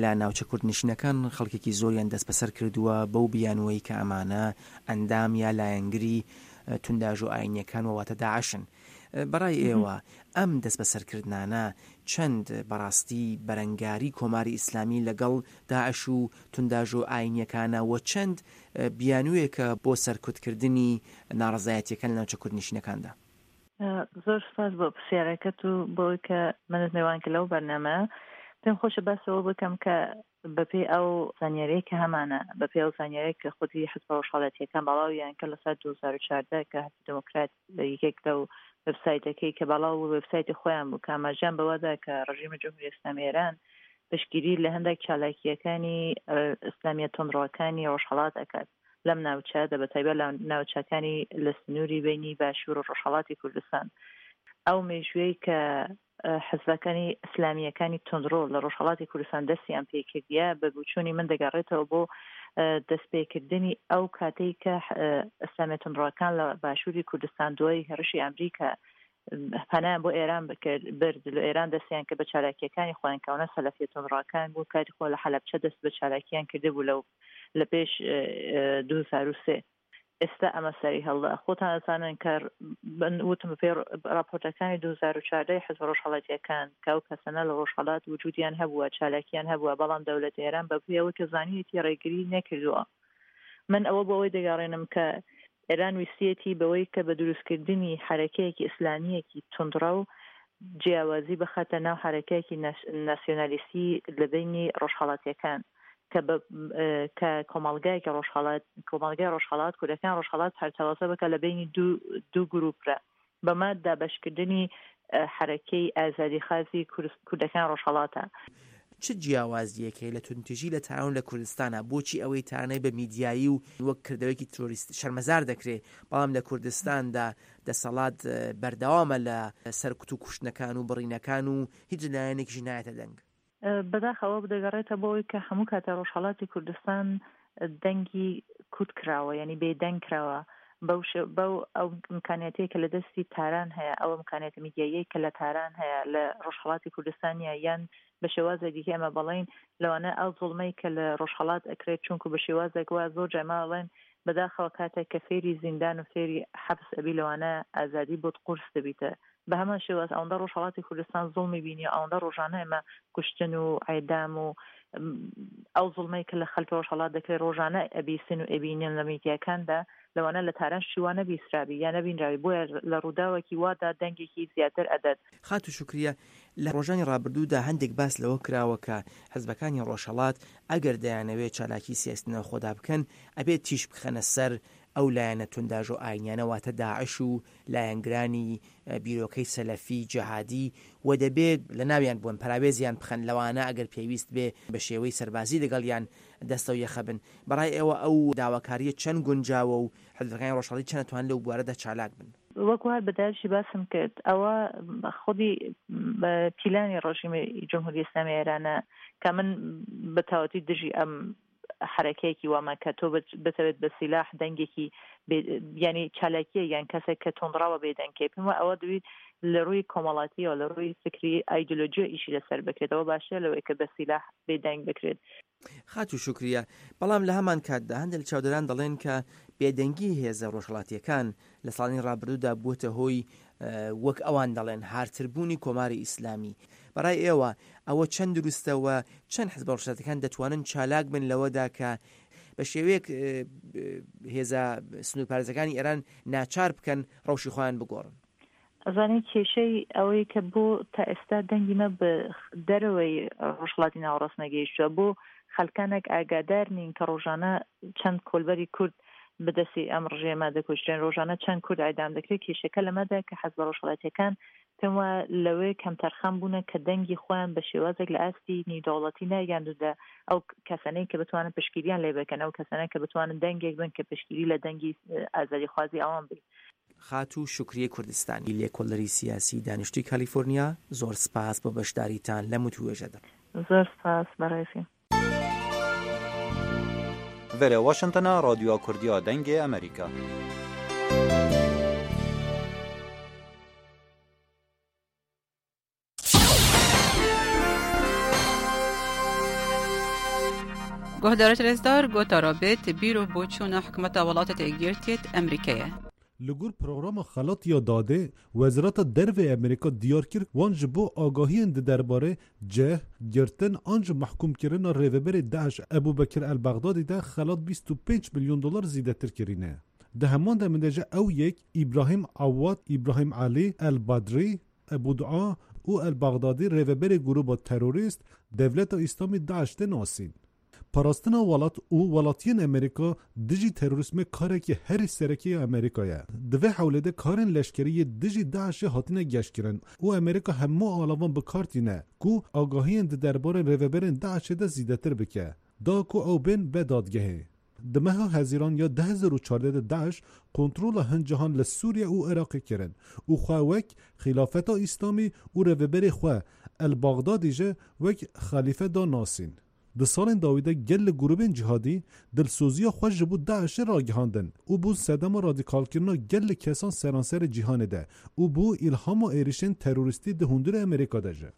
لە ناوچە کوردنشینەکان خەڵکێکی زۆریان دەستبەسەر کردووە بەو بیانووەی کە ئەمانە ئەندام یا لایەنگری تونداژۆ ئایینیەکان و واتە داعشن. بەڕای ئێوە ئەم دەستبەسەرکردنانە چەند بەڕاستی بەرەنگاری کۆماری ئیسلامی لەگەڵ داعش و تونداژۆ ئایینیەکانە و چەند بیانوویەکە بۆ سەرکوتکردنی ناڕەزایەتیەکان لە ناوچە کوردنشینەکاندا؟ زۆر سپاس بۆ پرسیارەکەت و بۆی کە منت میوان کرد لەو بەرنامە. پێم خۆشە باس ئەوە بکەم کە بەپێی ئەو زانیاریەی کە هەمانە، بەپێی ئەو زانیاریەی کە خودی حزبە ڕۆژهەڵاتیەکان بەڵاویان کرد لە ساڵی دوو هەزار و چواردە کە حزبی دێموکرات یەکێک لەو وێبسایتەکەی کە بەڵاو بوو وێبسایتی خۆیان بوو کە ئاماژەیان بەوەدا کە ڕژیمی جمهوری ئیسلامی ئێران پشتگیری لە هەندێک چالاکییەکانی ئیسلامیە توندڕەوەکانی ڕۆژهەڵات ئەکات لەم ناوچەدا، بە تایبەت لە ناوچەکانی لە سنووری بینی باشوور و ڕۆژهەڵاتی کوردستان. ئەو مێژوویەی کە حزبەکانی ئیسلامییەکانی توندڕۆ لە ڕۆژهەڵاتی کوردستان دەستیان پێکردیە، بە بوچوونی من دەگەڕێتەوە بۆ دەستپێکردنی ئەو کاتەی کە ئیسلامیە توندڕەکان لە باشووری کوردستان دوای هێڕشی ئەمریکا پەنایان بۆ ئێران بکرد برد، لە ئێران دەستیان کرد بە چالاکیەکانی خۆیان کەونە سەلەفیە توندڕەکان بوو، کاتی خۆ لە حەلەبچە دەست بە چالاکیان کردبوو لەو لە پێش دوو هەزار و سێ. ئێستا ئەمە سەری هەڵدا. خۆتان ئەزانن کە وتم بەپێی ڕاپۆرتەکانی دوو هەزار و چواردە ی حزبە ڕۆژهەڵاتیەکان کە ئەو کەسانە لە ڕۆژهەڵات وجودیان هەبووە، چالاکیان هەبووە، بەڵام دەولەت ئێران بە پێی ئەوەی کە زانیەتی ڕێگری نەکردووە. من ئەوە بۆ ئەوەی دەگەڕێنم کە ئێران ویستیەتی بەوەی کە بە دروستکردنی حەرەکەیەکی ئیسلامییەکی توندڕەو جیاوازی بخاتە ناو حەرەکەیەکی ناسیۆنالیستی لە بەینی ڕۆژهەڵاتیەکان کە بە کە کۆمەڵگایەکی ڕۆژهەڵات کۆمەڵگای ڕۆژهەڵات کوردەکان ڕۆژهەڵات پەرتەوازە بکە لە بەینی دوو دوو گروپرا بەمە دابەشکردنی حەرەکەی ئازادیخوازی کوردەکان ڕۆژهەڵاتە. چ جیاوازییەک هەیە لە توندوتیژی لە تاران و لە کوردستانا؟ بۆچی ئەوەی تارانەی بە میدیایی و وەک کردەوەیەکی ترۆریست شەرمەزار دەکرێ، بەڵام لە کوردستاندا دەسەڵات بەردەوامە لە سەرکوت و کوشتنەکان و بڕینەکان و هیچ لایەنێکیش نایەتە دەنگ؟ بەداخەوە دەگەڕێتە بۆ ئەوەی کە هەموو کاتە ڕۆژهەڵاتی کوردستان دەنگی کوت کراوە، یعنی بێدەنگ کراوە بەو بەو ئەو ئیمکانیاتەی کە لە دەستی تاران هەیە، ئەو ئیمکانیاتە میدیاییەی کە لە تاران هەیە لە ڕۆژهەڵاتی کوردستان نییە، یان بە شێوازێک دیکە ئێمە بەڵێین لەوانە ئەو زوڵمەی کە لە ڕۆژهەڵات ئەکرێت، چونکو بە شێوازێک وا زۆر جار ئێمە ئەڵێن بەداخەوە کاتێک کە فێری زیندان و فێری حەبس ئەبی لەوانە ئازادی بۆت قورس دەبیتە. بە هەمان شێواز ئەوەندە ڕۆژهەڵاتی کوردستان زوڵمی بینی، ئەوەندە ڕۆژانە ئێمە کوشتن و عێدام و ئەو زوڵمەی کە لە خەلکی ڕۆژهەڵات دەکرێت ڕۆژانە ئەبیسن و ئەبینن لە میدیاکاندا، لەوانە لە تاران شتی وا نەبیسرابی یا نەبینراوی، بۆیە لە ڕووداوێکی وادا دەنگێکی زیاتر ئەدەت. خاتوو شوکریە، لە ڕۆژانی ڕابردوودا هەندێک باس لەوە کراوە کە حزبەکانی ڕۆژهەڵات ئەگەر دەیانەوێت چالاکی سیاسی لە ناوخۆدا بکەن ئەبێت تیشک بخەنە سەر ئەو لایەنە تونداژۆ ئاینیانە واتە داعش و لایەنگرانی بیرۆکەی سەلەفی جەهادی و دەبێ لەناویان بوەن پەراوێزیان بخەن لەوانە ئەگەر پێویست بێ بە شێوەی سەربازی لەگەڵیان دەستەو یەخە بن. بەڕای ئێوە ئەو داواکارییە چەند گونجاوە و حزبەکانی ڕۆژهەڵاتی چەند ئەتوانن لەو بوارەدا چالاک بن؟ وەکو هەر بە داعشی باسم کرد ئەوە خودی پیلانی ڕژیمی جمهوری ئیسلامی ئێرانە کە من بە تەواوەتی دژی ئەم حەرەکەیەکی وامە کە تۆ بتەوێت بە سیلاح دەنگێکی ینی چالاکیە یان کەسێک کە تۆندڕاوە بێدەنگکەی، پێم وایە ئەوە دوی لە ڕووی کۆمەڵاتیەوە لە ڕووی فکری ئایدۆلۆژیە ئیشی لەسەر بکرێتەوە باشترە لەوەی کە بە سیلاح بێدەنگ بکرێت. خاتوو شوکریە، بەڵام لە هەمان کاتدا هەندێک لە چاودێران دەڵێن کە بێدەنگی هێزە ڕۆژهەڵاتییەکان لە ساڵانی ڕابردوودا بووەتە هۆی وەک ئەوان دەڵێن هارتربوونی کۆماری ئیسلامی. بەڕای ئێوە ئەوە چەند دروستە و چەند حزبە ڕۆژهەڵاتییەکان دەتوانن چالاک بن لەوەدا کە بە شێوەیەک هێزە سنوورپارێزەکانی ئێران ناچار بکەن ڕەوشی خۆیان بگۆڕن؟ ئەزانی کێشەی ئەوەی کە بۆ تا ئێستا دەنگی مە بە دەرەوەی ڕۆژهەڵاتی ناوەڕاست نەگەیشتووە، بۆ خەلکانێک ئاگادار نین کە ڕۆژانە چەند کۆلبەری کورد بە دەستی ئەم ڕژێمە دەکوژرێن، ڕۆژانە چەند کورد ئیعدام دەکرێت. کێشەکە لەمەدا کە حزبە ڕۆژهەڵاتیەکان پێم وایە لەوێ کەمتەرخەم بوونە کە دەنگی خۆیان بە شێوازێک لە ئاستی نیودەوڵەتی ناگەیاندووتە ئەو کەسانەی کە بتوانن پشتگیریان لێ بکەن، ئەو کەسانە کە بتوانن دەنگێک بن کە پشتگیری لە دەنگی ئازادیخوازی ئەوان بێت. خاتوو شوکریە کوردستانی، لێکۆڵەری سیاسی دانیشتووی کالیفۆرنیا، زۆر سپاس بۆ بەشداریتان لەم وتووێژەدا. زۆر سپاس بەڕێزی. Vere Washingtona Radyoya Kurdiya Dengê Amerîka. Guhdarê rêzdar gotara bêt bîr û boçûna hikûmeta welatê Yekgirtiyê Amerîkayê. Li gor programa Xelat ya Dadê, Wezareta Derve Amerîka diyar kir wan ji bo agahiyên di derbarê cih, girtin an ji mehkûmkirina rêveberê DAIŞ Ebûbekir el-Bexdadî de xelat bîst û pênc milyon dolar zêdetir kirîne. Di heman demê de ji ew yek İbrahim Awad, İbrahim Alî El-Badrî, Ebû Dua û El-Bexdadî rêveberê grûba terorîst Dewleta Îslamî DAIŞ tê nasîn. Parastina welat û welatiyên Amerîka dijî terorîsmê karekî herî sereke ya Amerîka ye. Di vê hewlê de karên leşkerî yê dijî DAIŞê hatine geşkirin û Amerîka hemû alavan bi kar tîne ku agahiyên di derbarê rêveberên DAIŞê de zêdetir bike, da ku ew bên be dadgehê. Di meha Hezîran ya du hezar û çardeh de DAIŞ kontrola hin cihan li Sûriye û Iraqê kirin û xwe wek Xilafeta Îslamî û rêveberê xwe El-Bexdadî jî wek xelîfe da nasîn. Di salên dawî de gelek grûbên cîhadî dilsoziya xwe ji bo DAIŞê ragihandin û bû sedema radîkalkirina gelek kesan seranserê cîhanê de û bû îlhama êrişên terorîstî di hundirê Amerîka de jî.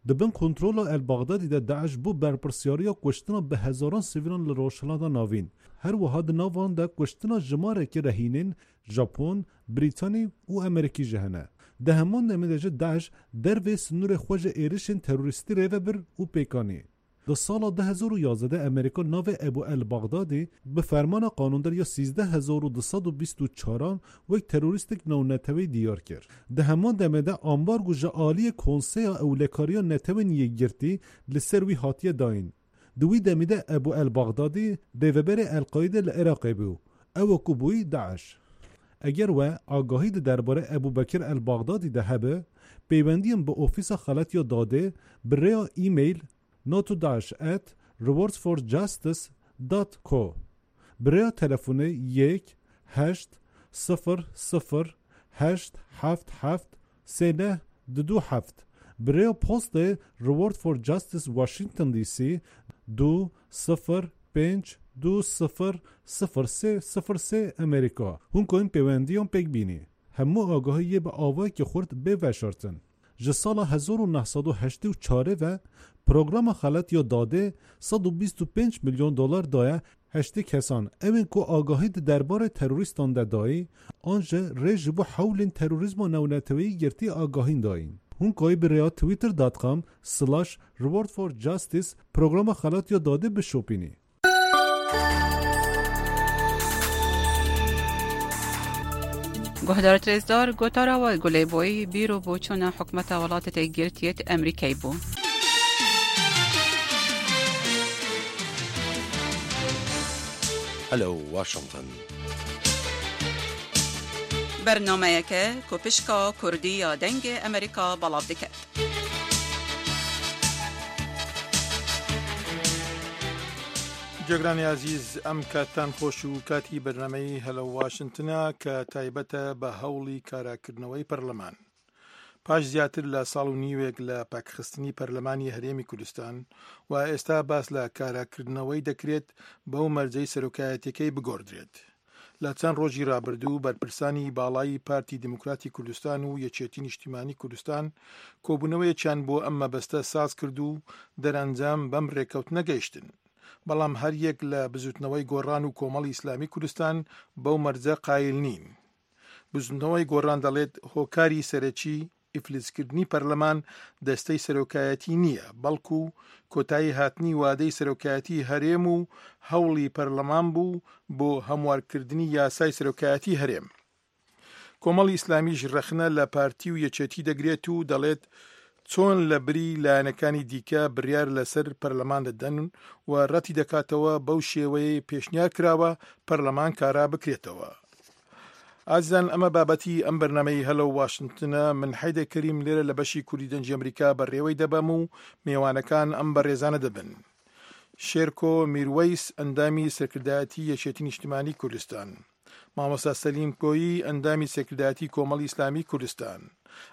Di bin kontrola El-Bexdadî de DAIŞ bû berpirsyariya kuştina bi hezaran sivîlan li Rojhilata Navîn. Her wiha di nav de kuştina jimarekî rehînên Japon, Brîtanî û Amerîkî jî hene. Di heman demê de jî DAIŞ dervê sînorê xwe ji êrişên terorîstî rêve bir û pêkanî. Di sala du hezar û yazdeh de Amerîka navê Ebû el-Bexdadî bi fermana qanûndar ya sîzdeh hezar û du sed û bîst û çaran wek terorîstek navneteweyî diyar kir. Di heman demê de ambargo ji aliyê Konseya Ewlekariya Netewên Yekgirtî li ser wî hatiye dayîn. Di wî demê de Ebû el-Bexdadî rêveberê El-Qaîde li Iraqê bû, ew ku bûyî DAIŞ. Eger we agahî di derbarê Ebûbekir el-Bexdadî de hebe, pêwendiyên bi Ofîsa Xelat ya Dadê bi rêya e-mail notodash at rewardsforjustice dot co bi rêya telefonê yek heşt sıfır sıfır heşt heft heft sê neh du du heft bi rêya postê Reward for Justice Washington D C du sıfır pênc du sıfır sıfır sê sıfır sê Amerîka. Hûn karin pêwendiyan pêk bînî. Hemû agahiyê bi awayekî xurt bê veşartin. Ji sala hezar û neh sed û heştê û çarê ve programa Xelat ya Dadê sed û bîst û pênc milyon dolar daye heştê kesan ewên ku agahî di derbarê terorîstan de dayî an ji rê ji bo hewlên terorîzma navneteweyî girtî agahîn dayîn. Hûn kayî bi rêya twitter dot com slash reward for justice programa Xelat ya Dadê bişopînî. Guhdarê rêzdar gotara we gulê boyî bîr û boçûna hikûmeta welatê Yekgirtiyê Amerîkayê bû. Hello Washington. Bernameyeke ku pişka Kurdî ya Dengê Amerîka belav dike. جێگرانی ئازیز ئەم کاتان خۆش و کاتی بەرنامەی هەلە واشنگتنە کە تایبەتە بە هەوڵی کاراکردنەوەی پەرلەمان. پاش زیاتر لە ساڵ و نیوێک لە پاکخستنی پەرلەمانی هەرێمی کوردستان و ئێستا باس لە کاراکردنەوەی دەکرێت بەو مەرجەی سەرۆکایەتیەکەی بگۆڕدرێت. لە چەند ڕۆژی ڕابردوو بەرپرسانی باڵایی پارتی دیموکراتی کوردستان و یەکێتی نیشتیمانی کوردستان کۆبوونەوەیەکیان بۆ ئەم مەبەستە ساز کرد و دەرەنجام بەم ڕێکەوتنە گەیشتن. بەڵام هەر یەک لە بزوتنەوەی گۆڕان و کۆمەڵی ئیسلامی کوردستان بەو مەرجە قایل نین. بزوتنەوەی گۆڕان دەڵێت هۆکاری سەرەکی ئیفلیسکردنی پەرلەمان دەستەی سەرۆکایەتی نییە، بەڵکو کۆتایی هاتنی وادەی سەرۆکایەتی هەرێم و هەوڵی پەرلەمان بوو بۆ هەموارکردنی یاسای سەرۆکایەتی هەرێم. کۆمەڵی ئیسلامیش ڕەخنە لە پارتی و یەکێتی دەگرێت و دەڵێت چۆن لە بری لایەنەکانی دیکە بڕیار لەسەر پەرلەمان دەدەن و ڕەتی دەکاتەوە بەو شێوەیە پێشنیار کراوە پەرلەمان کارا بکرێتەوە. ئازیزان ئەمە بابەتی ئەم بەرنامەی هەلۆ واشنگتنە. من حەیدە کەریم لێرە لە بەشی کوردی دەنگی ئەمریکا بەڕێوەی دەبەم و میوانەکان ئەم بەڕێزانە دەبن. شێرکۆ میروەیس ئەندامی سەرکردایەتی یەکێتی نیشتیمانی کوردستان، مامۆستا سەلیم کۆیی ئەندامی سەرکردایەتی کۆمەڵی ئیسلامی کوردستان.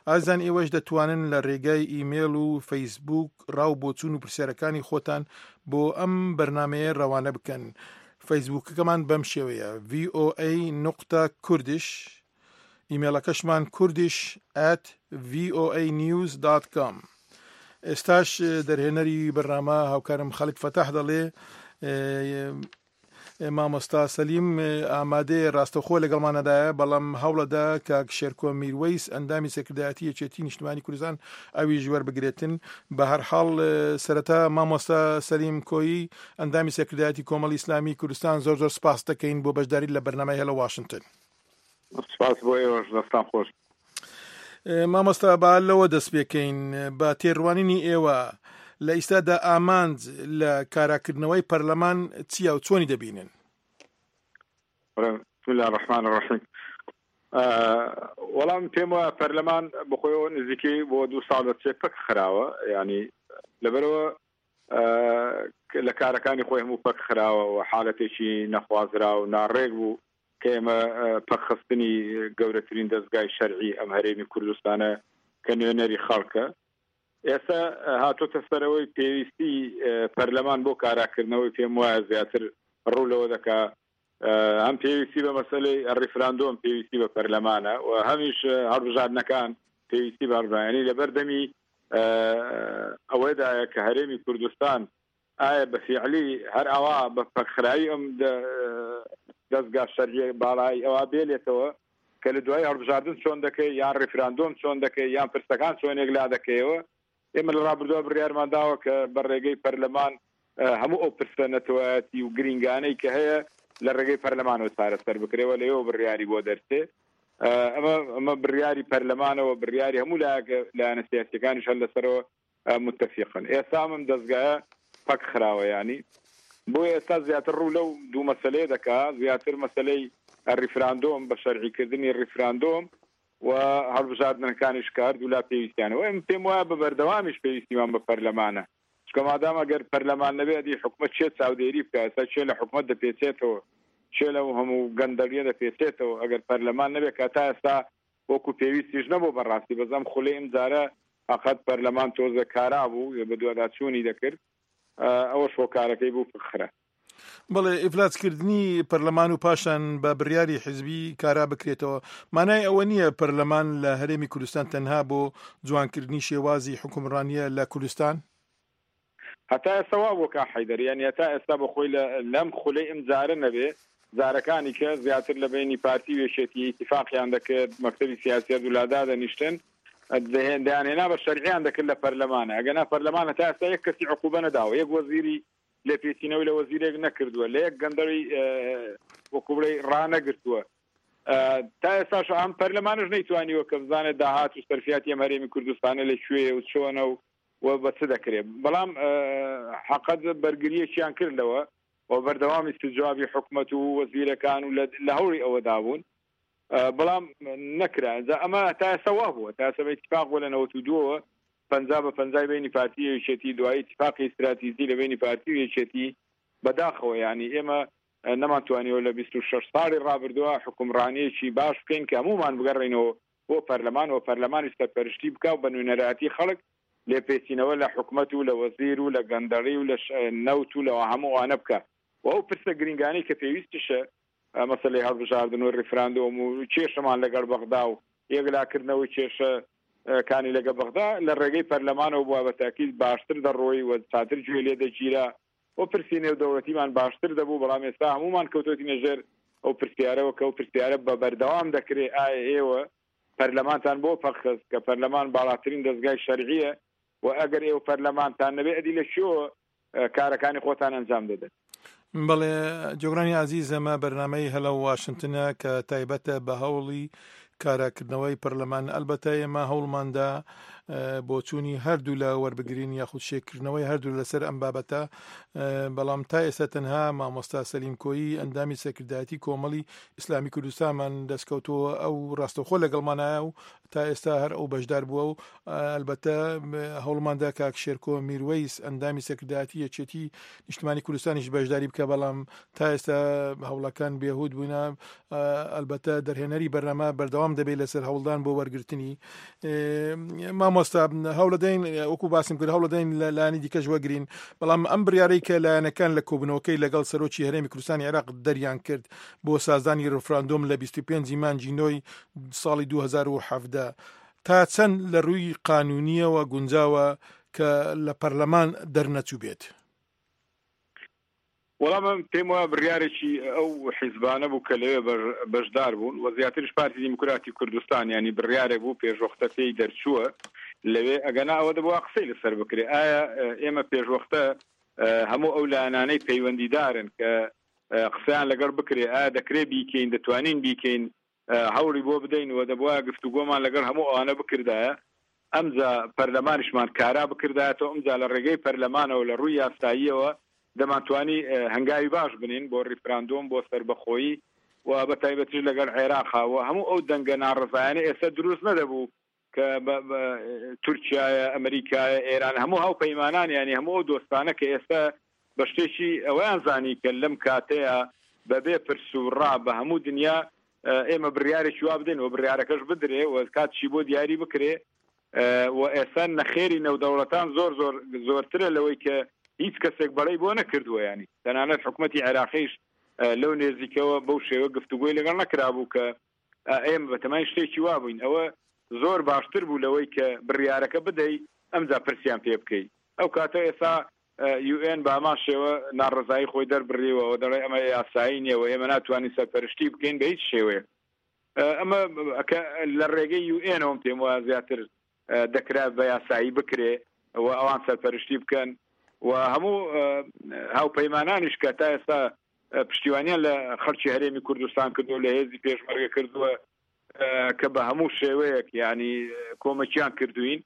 ئازیزان ئێوەش دەتوانن لە رێگای ئیمێڵ و فەیسبووک ڕا و بۆچوون و پرسیارەکانی خۆتان بۆ ئەم بەرنامەیە رەوانە بکەن. فەیسبووکەکەمان بەم شێوەیە ڤی ئۆ ئەی نوقتە کوردش، ئیمێڵەکەشمان کوردش ئەت ڤی ئۆ ئەی نیوز دات کام. ئێستاش دەرهێنەری بەرنامە هاوکارم خەلک فەتاح دەڵێ مامۆستا سەلیم ئامادەیە ڕاستەوخۆ لەگەڵمانەدایە، بەڵام هەوڵەدا کاک شێرکۆ میروەیس ئەندامی سەرکردایەتی یەکێتی نیشتمانی کوردستان ئەویش وەربگرێتن. بە هەر حاڵ سەرەتا مامۆستا سەلیم کۆیی ئەندامی سەرکردایەتی کۆمەڵی ئیسلامی کوردستان زۆر زۆر سپاس دەکەین بۆ بەشداری لە بەرنامەی هێلۆ واشنتن. سپاس بۆ ئێوەش، دەستان خۆش. مامۆستا با لەوە دەست پێکەین، بە تێڕوانینی ئێوە لە ئیستادا ئامانج لە کاراکردنەوەی پەرلەمان چییە و چۆنی دەبینن؟ بسم الله الرحمن الرحیم. وەڵام پێم وایە پەرلەمان بەخۆیەوە نزیکەی بۆ دوو ساڵ دەچێت پەک خراوە، ینی لەبەرەوە لە کارەکانی خۆی هەموو پەک خراوە و حالەتێکی نەخوازرا و ناڕێک بوو کە ئێمە پەکخستنی گەورەترین دەستگای شەرعی ئەم هەرێمی کوردستانە کە نوێنەری خەڵکە. ئێستا هاتۆتە سەرەوەی پێویستی پەرلەمان بۆ کاراکردنەوەی پێم وایە زیاتر ڕوو لەوە دەکا هەم پێویستی بە مەسەلەی ڕیفراندۆم پێویستی بە پەرلەمانە و هەمیش هەڵبژاردنەکان پێویستی بە هەڵبژاردنی لەبەر دەمی ئەوەدایە کە هەرێمی کوردستان ئایا بە فیعلی هەر ئەوە بە پەکخراوی ئەم دەستگا شەرعیە باڵای ئەوە بێلێتەوە کە لە دوای هەڵبژاردن چۆن دەکەی یان ڕیفراندۆم چۆن دەکەی یان پرسەکان چۆنێک لا دەکەیەوە. ئێمە لە ڕابردووە بڕیارمان داوە کە بە ڕێگەی پەرلەمان هەموو ئەو پرسە نەتەوایەتی و گرینگانەی کە هەیە لە ڕێگەی پەرلەمانەوە چارەسەر بکرێەوە، لەوێوە بڕیاری بۆ دەرچێ. ئەمە ئەمە بڕیاری پەرلەمانەوە بڕیاری هەموو لایەنە سیاسیەکانیش هەر لەسەرەوە متفقن. ئێستا ئەم دەستگایە پەک خراوە، ینی بۆ ئێستا زیاتر ڕوو لەو دوو مەسلەیە دەکا، زیاتر مەسلەی ڕیفراندۆم بە شەرعیکردنی ڕیفراندۆم و هەڵبژاردنەکانیش کرد و لا پێویستیانەوە. ئێمە پێم وایە بە بەردەوامیش پێویستیمان بە پەرلەمانە، چونکە مادام ئەگەر پەرلەمان نەبێ ئەدی حکومەت چێ چاودێری بکە، ئێستا چێ لە حکومەت دەپێچێتەوە، چێ لەو هەموو گەندەڵیە دەپێچێتەوە ئەگەر پەرلەمان نەبێ، کە تا ئێستا وەکو پێویستیش نەبوو بەڕاستی. بەس ئەم خولەی ئەم جارە فقط پەرلەمان تۆزە کارا بوو بەدواداچوونی دەکرد، ئەوەش هۆکارەکەی بوو پخرا. بەڵێ، ئیفلاجکردنی پەرلەمان و پاشان بە بڕیاری حیزبی کارا بکرێتەوە مانای ئەوە نییە پەرلەمان لە هەرێمی کوردستان تەنها بۆ جوانکردنی شێوازی حکومڕانیە لە کوردستان؟ هەتا ئێستا وا بووە کاک حەیدەر، یعنی هەتا ئێستا بەخۆی لەم خولەی ئەم جارە نەبێ جارەکانی کە زیاتر لە بینی پارتی و یەکێتی ئیتیفاقیان دەکرد، مەکتەبی سیاسی هەردوو لا دادەنیشتن، دەیانهێنا بە شەرعیان دەکرد لە پەرلەمانە. ئەگەنا پەرلەمان هەتا ئێستا یەک کەسی عقوبە نەداوە، یەک وەزیری لێپێچینەوەی لە وەزیرێک نەکردووە، لە یەک گەندەڵی وەکو بڵێ ڕانەگرتووە. تا ئێستاش ئەم پەرلەمانش نەیتوانیوە کە بزانێت داهات و سەرفیاتی ئەم هەرێمی کوردستانە لە کوێیە و چۆنە و و بە چ دەکرێت. بەڵام حەقەت بەرگریەکیان کرد لەوە و بەردەوامی استجوابی حکومەت و وەزیرەکان و لە هەوڵی ئەوەدا بوون، بەڵام نەکرا. ئینجا ئەمە تا ئێستا وا بووە، تا ئێستا بە ئیتیفاق بووە لە نەوەت و دووەوە پەنجا بە پەنجای بینی پارتی و یەکێتی، دوایی ئیتیفاقی ئیستراتیژی لە بینی پارتی و یەکێتی. بەداخەوە یعنی ئێمە نەمانتوانیوە لە بیست و شەش ساڵی ڕابردووە حکومڕانیەکی باش بکەین کە هەموومان بگەڕێینەوە بۆ پەرلەمان و پەرلەمانیش سەرپەرشتی بکا و بە نوێنەرایەتی خەڵک لێپێچینەوە لە حکومەت و لە وەزیر و لە گەندەڵی و لە نەوت و لە هەموو ئەوانە بکا و ئەو پرسە گرینگانەی کە پێویستیشە مەسەلەی هەڵبژاردن و ڕیفراندۆم و کێشەمان لەگەڵ بەغدا و یەکلاکردنەوەی کێشە کانی لەگە بەغدا لە ڕێگەی پەرلەمانەوە بووە بە تاکید باشتر دەڕۆی و چاتر گوێ لێ دەگیرا و پرسی نێودەوڵەتیمان باشتر دەبوو. بەڵام ئێستا هەموومان کەوتۆتینە ژێر ئەو پرسیارەوە کە ئەو پرسیارە بە بەردەوام دەکرێ، ئایا ئێوە پەرلەمانتان بۆ پەکخست کە پەرلەمان باڵاترین دەستگای شەرعیە و ئەگەر ئێوە پەرلەمانتان نەبێ ئەدی لە کوێوە کارەکانی خۆتان ئەنجام دەدەن؟ بەڵێ جۆگرانی ئازیز، ئەمە بەرنامەی هەلۆ واشنتنە کە تایبەتە بە هەوڵی کاراکردنەوەی پەرلەمان. ئەلبەتە ئێمە هەوڵماندا بۆچوونی هەردوو لە وەربگرین یاخود شێکردنەوەی هەردوو لەسەر ئەم بابەتە، بەڵام تا ئێستا تەنها مامۆستا سەلیم کۆیی ئەندامی سەرکردایەتی کۆمەڵی ئیسلامی کوردستانمان دەستکەوتەوە، ئەو ڕاستەوخۆ لەگەڵمانایە و تا ئێستا هەر ئەو بەشدار بووە و ئەلبەتە هەوڵماندا کاک شێرکۆ میروەیس ئەندامی سەرکردایەتی یەکێتی نیشتمانی کوردستانیش بەشداری بکە، بەڵام تا ئێستا هەوڵەکان بێهود بوونە. ئەلبەتە دەرهێنەری بەرنامە بەردەوام دەبێت لەسەر هەوڵدان بۆ وەرگرتنی مامۆستا. هەوڵدەین وەکو باسم کرد هەوڵدەین لە لایەنی دیکەش وەگرین، بەڵام ئەم بڕیارەی کە لایەنەکان لە کۆبوونەوەکەی لەگەڵ سەرۆکی هەرێمی کوردستانی عێراق دەریان کرد بۆ سازدانی ڕفراندۆم لە بیست و پێنج مانگی نۆی ساڵی دوو هەزار و حەڤدە تا چەند لە ڕووی قانونیەوە گونجاوە کە لە پەرلەمان دەرنەچوو بێت؟ وەڵام من پێم وایە بڕیارێکی ئەو حیزبانە بوو کە لەوێ بەشدار بوون و زیاتریش پارتی دیموکراتی کوردستان، ینی بڕیارێک بوو پێشوەختە پێی دەرچووە لەوێ، ئەگەنا ئەوە دەبووە قسەی لەسەر بکرێ. ئایا ئێمە پێشوەختە هەموو ئەو لایەنانەی پەیوەندیدارن کە قسەیان لەگەڵ بکرێ، ئایا دەکرێ بیکەین، دەتوانین بیکەین، هەوڵی بۆ بدەین و دەبووە گفتوگۆمان لەگەڵ هەموو ئەوانە بکردایە، ئەمجا پەرلەمانیشمان کارا بکردایەتەوە، ئەمجا لە ڕێگەی پەرلەمانەوە لە ڕووی یاساییەوە دەمانتوانی هەنگاوی باش بنین بۆ ڕیفراندۆم بۆ سەربەخۆیی و بە تایبەتیش لەگەڵ عێراقا و هەموو ئەو دەنگە ناڕەزایانە ئێستا دروست نەدەبوو کە تورکیایە، ئەمریکایە، ئێران، هەموو هاوپەیمانان، ینی هەموو ئەو دۆستانە کە ئێستا بە شتێکی ئەوەیان زانی کە لەم کاتەیە بەبێ پرس و ڕا بە هەموو دنیا ئێمە بڕیارێکی وا بدەین و بڕیارەکەش بدرێ و کاتشی بۆ دیاری بکرێ و ئێستا نەخێری نەودەوڵەتان زۆر زۆر زۆرترە لەوەی کە هیچ کەسێک بەڵێ بۆ نەکردووە، ینی تەنانەت حکوومەتی عێراقیش لەو نێزیکەوە بەو شێوە گفتوگۆی لەگەڵ نەکرابوو کە ئێمە بەتەمای شتێکی وا بووین. ئەوە زۆر باشتر بوو لەوەی کە بڕیارەکە بدەی ئەمجا پرسیان پێ بکەی. ئەو کاتە ئێستا یو ئێن بە هەمان شێوە ناڕەزایی خۆی دەربڕیوە و دەڵێ ئەمە یاسایی نییە و ئێمە ناتوانین سەرپەرشتی بکەین بە هیچ شێوەیەک. ئەمە لە ڕێگەی یو ئێنەوەم پێم وایە زیاتر دەکرا بە یاسایی بکرێ و ئەوان سەرپەرشتی بکەن و هەموو هاوپەیمانانیش کە تا ئێستا پشتیوانیان لە خەڵکی هەرێمی کوردستان کردو لە هێزی پێشمەرگە کردووە کە بە هەموو شێوەیەک ینی کۆمەکیان کردوین،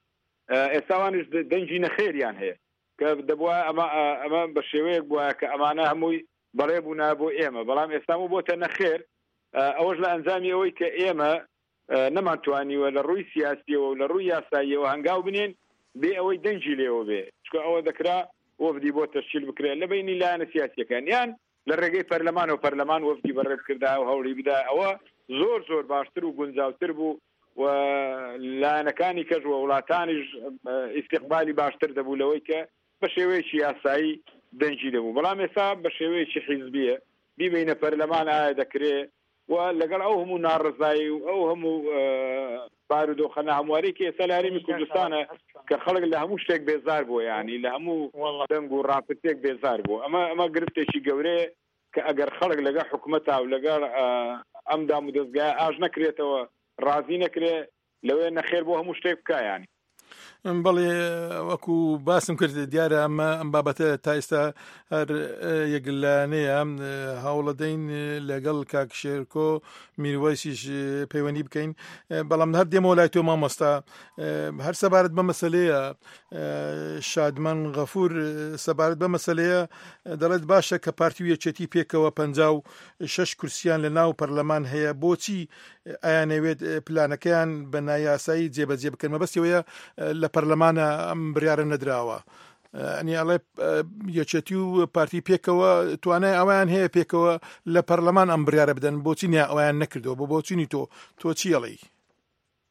ئێستاوانیش دەنگی نەخێریان هەیە کە دەبووە ئەمە ئەمە بە شێوەیەک بووە کە ئەمانە هەمووی بەڵێ بوونا بۆ ئێمە، بەڵام ئێستامو بۆتە نەخێر. ئەوەش لە ئەنجامی ئەوەی کە ئێمە نەمانتوانیوە لە ڕووی سیاسیەوە و لە ڕووی یاساییەوە هەنگاو بنێن بێ ئەوەی دەنگی لێوە بێ، چونکە ئەوە دەکرا وەفدی بۆ تەشکیل بکرێت لە بینی لایەنە سیاسیەکان یان لە ڕێگەی پەرلەمان و پەرلەمان وەفدی بەڕێ بکردا و هەوڵی بدا. ئەوە زۆر زۆر باشتر و گونجاوتر بوو و لایەنەکانی کەش و وڵاتانیش ئیستیقبالی باشتر دەبوو لەوەی کە بە شێوەیەکی یاسایی دەنگی دەبوو. بەڵام ئێستا بە شێوەیەکی حیزبیە بیبینە پەرلەمان ئایا دەکرێ و لەگەڵ ئەو هەموو ناڕزایی و ئەو هەموو بارودۆخە ناهەمواری کە ئێستا لە هەرێمی کوردستانە کە خەڵک لە هەموو شتێک بێزار بووە، یعنی لە هەموو دەنگ و ڕاپرسێک بێزار بوو. ئەمە ئەمە گرفتێکی گەورەیە کە ئەگەر خەڵک لەگەڵ حکومەتا و لەگەڵ ئەم دام و دەستگایە ئاش نەکرێتەوە، ڕازی نەکرێ، لەوێ نەخێر بۆ هەموو شتێک بکا. یعنی بەڵێ وەکو باسم کرد دیارە ئەمە ئەم بابەتە تا ئێستا هەر یەکلایەنەیە. هەوڵەدەین لەگەڵ کاک شێرکۆ میروەیسیش پەیوەندی بکەین، بەڵام هەر دێمەوە لای تۆ مامۆستا. هەر سەبارەت بە مەسلەیە شادمان غەفور سەبارەت بە مەسلەیە دەڵێت باشە کە پارتی و یەکێتی پێکەوە پەنجا و شەش کورسیان لە ناو پەرلەمان هەیە، بۆچی ئەیانەوێت پلانەکەیان بە نایاسایی جێبەجێ بکەن؟ مەبەستیەوەیە لە پەرلەمانە ئەم بڕیارە نەدراوە. ئەنی ئەڵێ یەکێتی و پارتی پێکەوە توانای ئەویان هەیە پێکەوە لە پەرلەمان ئەم بڕیارە بدەن، بۆچی نیا ئەویان نەکردەوە؟ بۆ بۆچینی تۆ تۆ چی ئەڵێی؟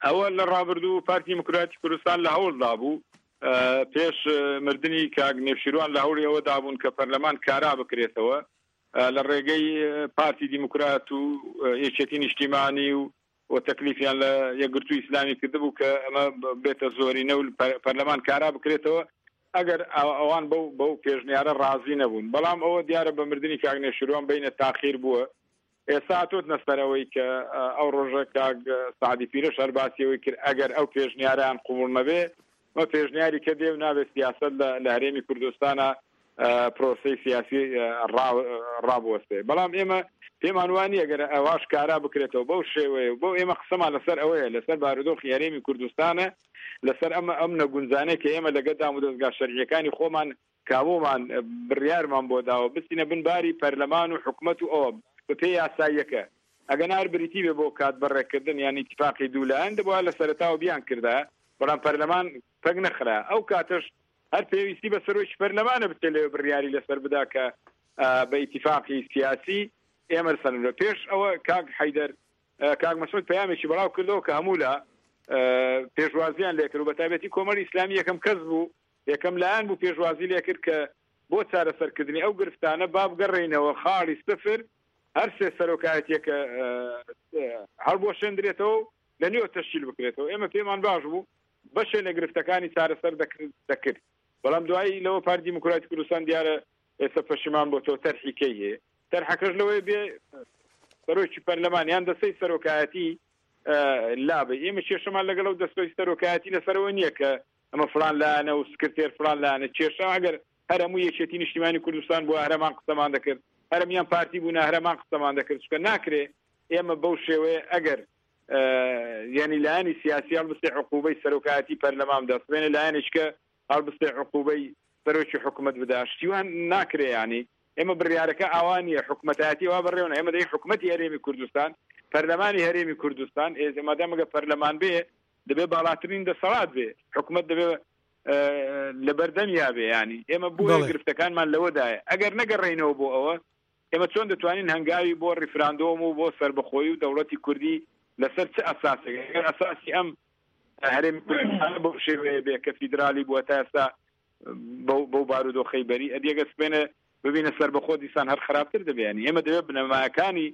ئەوە لە ڕابردوو پارتی دیموکراتی کوردستان لە هەوڵدا بوو پێش مردنی کاک نێوشیروان لە هەوڵی ئەوە دابوون کە پەرلەمان کارا بکرێتەوە لە ڕێگەی پارتی دیموکرات و یەکێتی نیشتیمانی و و تەکلیفیان لە یەکگرتوو ئیسلامی کردبوو کە ئەمە بێتە زۆرینە و پەرلەمان کارا بکرێتەوە ئەگەر ئەوان بەو بەو پێشنیارە ڕازی نەبوون. بەڵام ئەوە دیارە بە مردنی کاک نێوشیروان بینە تاخیر بووە. ئێستا هاتۆتنە سەرەوەی کە ئەو ڕۆژە کاک سەعدی پیرەش هەر باسی ئەوەی کرد ئەگەر ئەو پێشنیارەیان قبوڵ نەبێ مە پێشنیاری کە دێ و نابێت سیاسەت لە هەرێمی کوردستانە پرۆسەی سیاسی ڕابوەستێ. بەڵام ئێمە پێمان وانییە گەر ئەواش کارا بکرێتەوە بەو شێوەیە و بەو ئێمە قسەمان لەسەر ئەوەیە لەسەر بارودۆخی هەرێمی کوردستانە لەسەر ئەمە ئەم نەگونجانەی کە ئێمە لەگەڵ دامودەزگا شەرعیەکانی خۆمان کابۆمان بڕیارمان بۆ داوە بچینە بن باری پەرلەمان و حکومەت و ئەوە بەپێی یاساییەکە ئەگەنا هەر بریتی بێ بۆ کات بەڕێکردن یان ئیتیفاقی دوو لایەن دەبوایە لە سەرەتاوە بیان کردایە بەڵام پەرلەمان پەک نەخرا ئەو کاتەش هەر پێویستی بە سەرۆکی پەرلەمانە بچێت لەوێ بڕیاری لەسەر بدا کە بە ئیتیفاقی سیاسی ئێمە سەرنجە پێش ئەوە کاک حەیدەر کاک مەسعود پەیامێکی بەڵاو کردەوە کە هەموو لە پێشوازیان لێکرد و بە تایبەتی کۆمەڵی ئیسلامی یەکەم کەس بوو یەکەم لایەن بوو پێشوازی لێکرد کە بۆ چارەسەرکردنی ئەو گرفتانە با بگەڕێینەوە خاڵی سفر هەر سێ سەرۆکایەتیەکە هەڵبوەشێندرێتەوە و لە نوێ تەشکیل بکرێتەوە. ئێمە پێمان باش بوو بەشێ لە گرفتەکانی چارەسەر دەکرد، بەڵام دوایی لەوە پارتی دیموکراتی کوردستان دیارە ئێستا پەشیمان بۆتەوە تەرحی کەی هەیە. تەرحەکەش لەوەیە بێ سەرۆکی پەرلەمان یان دەستەی سەرۆکایەتی لابێ. ئێمە کێشەمان لەگەڵ ئەو دەستەی سەرۆکایەتی لەسەرەوە نییە کە ئەمە فلان لایەنە و سکرتێر فلان لایەنە. کێشە ئەگەر هەر هەموو یەکێتی نیشتیمانی کوردستان بووە هەرەمان قسەمان دەکرد، هەرەمیان پارتی بوونە هەرەمان قسەمان دەکرد، چونکە ناکرێ ئێمە بەو شێوەیە ئەگەر یعنی لایەنی سیاسی هەڵبستێ عقوبەی سەرۆکایەتی پەرلەمان بدا، سبێنێ لایەنێککە هەڵبستێ عقوبەی سەرۆکی حکومەت بدا، شتیوان ناکرێ. ینی ئێمە بڕیارەکە ئاوا نییە، حکومەتایەتی وا بەڕێوەنە. ئێمە دەی حکومەتی هەرێمی کوردستان، پەرلەمانی هەرێمی کوردستان، ئێ مادام ئەگەر پەرلەمان بێ دەبێ باڵاترین دەسەڵات بێ، حکومەت دەبێ لەبەردەمیا بێ. ینی ئێمە بۆیە گرفتەکانمان لەوەدایە. ئەگەر نەگەڕێینەوە بۆ ئەوە ئێمە چۆن دەتوانین هەنگاوی بۆ ڕیفراندۆم و بۆ سەربەخۆیی و دەوڵەتی کوردی لەسەر چ ئەساسێک؟ ئەگەر ئەساسی ئەم هەرێمی کوردستان بەو شێوەیە بێ کە فیدرالی بووە تا ئێستا بەو بارودۆخەی بەری، ئەدی ئەگەر سبێنە ببینە سەربەخۆ دیسان هەر خراپتر دەبێ. ینی ئێمە دەبێت بنەمایەکانی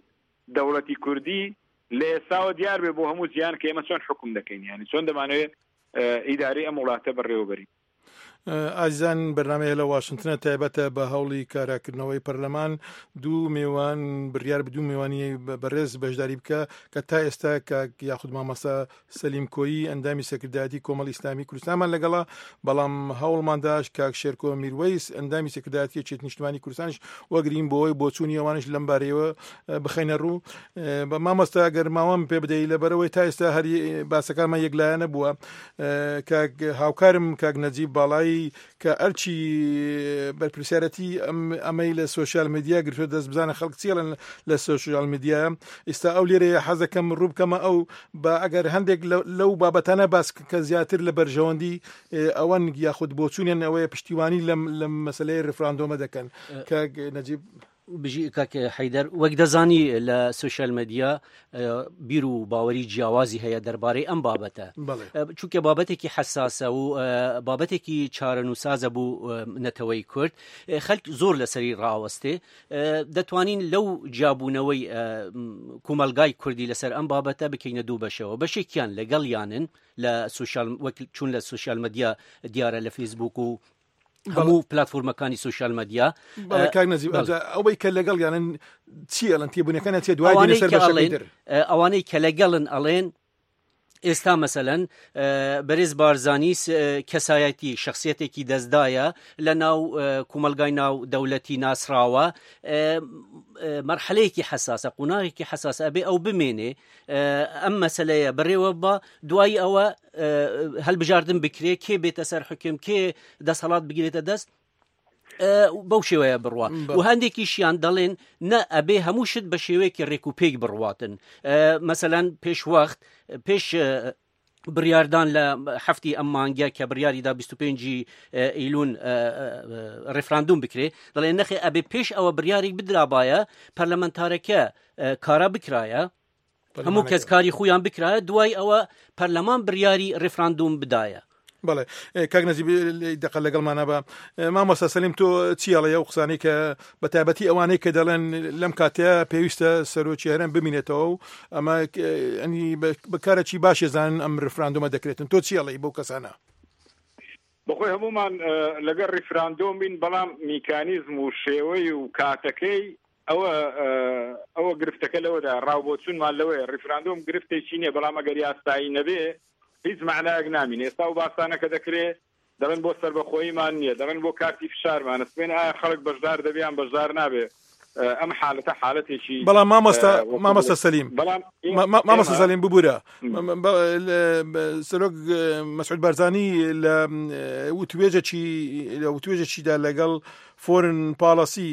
دەوڵەتی کوردی لە ئێستاوە دیار بێ بۆ هەموو جیهان کە ئێمە چۆن حکوم دەکەین، ینی چۆن دەمانەوێت ئیدارەی ئەم وڵاتە بەڕێوەبەرین. ئازیزان، بەرنامەیە لە واشنگتنە تایبەتە بە هەوڵی کاراکردنەوەی پەرلەمان. دوو میوان بڕیار بە دوو میوانی بەڕێز بەشداری بکە کە تا ئێستا کاک یاخود مامۆستا سەلیم کۆیی ئەندامی سەکردایەتی کۆمەڵی ئیسلامی کوردستانمان لەگەڵا، بەڵام هەوڵمانداش کاک شێرکۆ میروەیس ئەندامی سەکردایەتی یەکێتی نیشتمانی کوردستانیش وەگرین بۆ ئەوەی بۆچوونی ئەوانیش لەم بارەیەوە بخەینە ڕوو. بە مامۆستا ئەگەر ماوەم پێ بدەی لەبەرەوەی تا ئێستا هەر باسەکانمان یەکلایەنە بووە، کاک هاوکارم کاک نەجیب باڵایی کە ئەرچی بەرپرسیارەتی ئەمەی لە سۆشیال میدیا گرتووە دەست بزانە خەڵک چیڵن لە سۆشیال میدیا، ئێستا ئەو لێرەیە حەزەکەم ڕوو بکەمە ئەو بە ئەگەر هەندێک لەو بابەتانە باس کە زیاتر لە بەرژەوەندی ئەوەن یاخود بۆچوونیان ئەوەیە پشتیوانی لەم لەم مەسلەی ڕیفراندۆمە دەکەن. کاک نەجیب. بژی کاک حەیدەر، وەک دەزانی لە سۆشیال میدیا بیر و باوەری جیاوازی هەیە دەربارەی ئەم بابەتە، چونکە بابەتێکی حەساسە و بابەتێکی چارەنووسازە بوو نەتەوەی کورد، خەلک زۆر لەسەری ڕاوەستێ. دەتوانین لەو جیابوونەوەی کۆمەلگای کوردی لەسەر ئەم بابەتە بکەینە دوو بەشەوە. بەشێکیان لەگەڵیانن لە سۆشیال، وەک چون لە سۆشیال میدیا دیارە لە فەیسبوک و هەموو پلاتفۆرمەکانی سۆشیال میدیا. بەڵێ کاک نەجیب، ئەوەی کە لەگەڵیانن چی ئەڵێن؟ تێبوونەکانیان چییە؟ دوای دێنە سەر بەشەکەی تر. ئەوانەی کە لەگەڵن ئەڵێن ئێستا مەسەلەن بەرێز بارزانی کەسایەتی شخصیەتێکی دەستدایە لە ناو کۆمەلگای ناو دەولەتی ناسراوە، مەرحەلەیەکی حەساسە، قۆناغێکی حەساسە، ئەبێ ئەو بمێنێ ئەم مەسەلەیە بڕێوە بە دوای ئەوە هەلبژاردن بکرێ، کێ بێتە سەر حکم، کێ دەسەڵات بگرێتە دەست، بەو شێوەیە بڕوە. و هەندێکیشیان دەڵێن نە ئەبێ هەموو شت بە شێوەیەکی ڕێک و پێک بڕواتن. مەسەلەن پێش وەخت پێش بڕیاردان لە هەفتی ئەم مانگە کە بڕیاریدا بیست و پێنج ئەیلوون ڕیفراندوم بکرێ، دەڵێن نەخێ ئەبێ پێش ئەوە بڕیارێک بدرابایە، پەرلەمانتارەکە کارا بکرایە، هەموو کەس کاری خۆیان بکرایە، دوای ئەوە پەرلەمان بڕیاری ڕیفراندوم بدایە. بەڵێ کاک نەجیب دەقە لەگەڵمانە بە مامۆستا سەلیم، تۆ چی ئەڵێ ئەو قسانەی کە بە تایبەتی ئەوانەی کە دەڵێن لەم کاتەیە پێویستە سەرۆکی هەرێم بمینێتەوە و ئەمە ینی بەکارێکی باشێ زانن ئەم ڕیفراندۆمە دەکرێتن، تۆ چی ئەڵێی بەو کەسانە؟ بەخۆی هەمومان لەگەڵ ڕیفراندۆم بین، بەڵام میکانیزم و شێوەی و کاتەکەی ئەوە ئەوە گرفتەکە لەوەدا ڕاوبۆچوونمان لەوەیە ڕیفراندۆم گرفتێکی نییە، بەڵام ئەگەر یاسایی نەبێ هیچ معنایەک نامینێ. ئێستا و باسانە کە دەکرێ دەڵێن بۆ سەربەخۆییمان نییە، دەڵێن بۆ کارتی فشارمانە، سبێن ئایا خەڵک بەشدار دەبێ یان بەشدار نابێ؟ ئەم حالەتە حالەتێکی بەڵام مامۆستا مامۆستا سەلیم بەڵام مامۆستا سەلیم ببورە سەرۆک مەسعود بارزانی لە وتوێژێکی لە وتوێژێکیدا لەگەڵ فۆرن پاڵەسی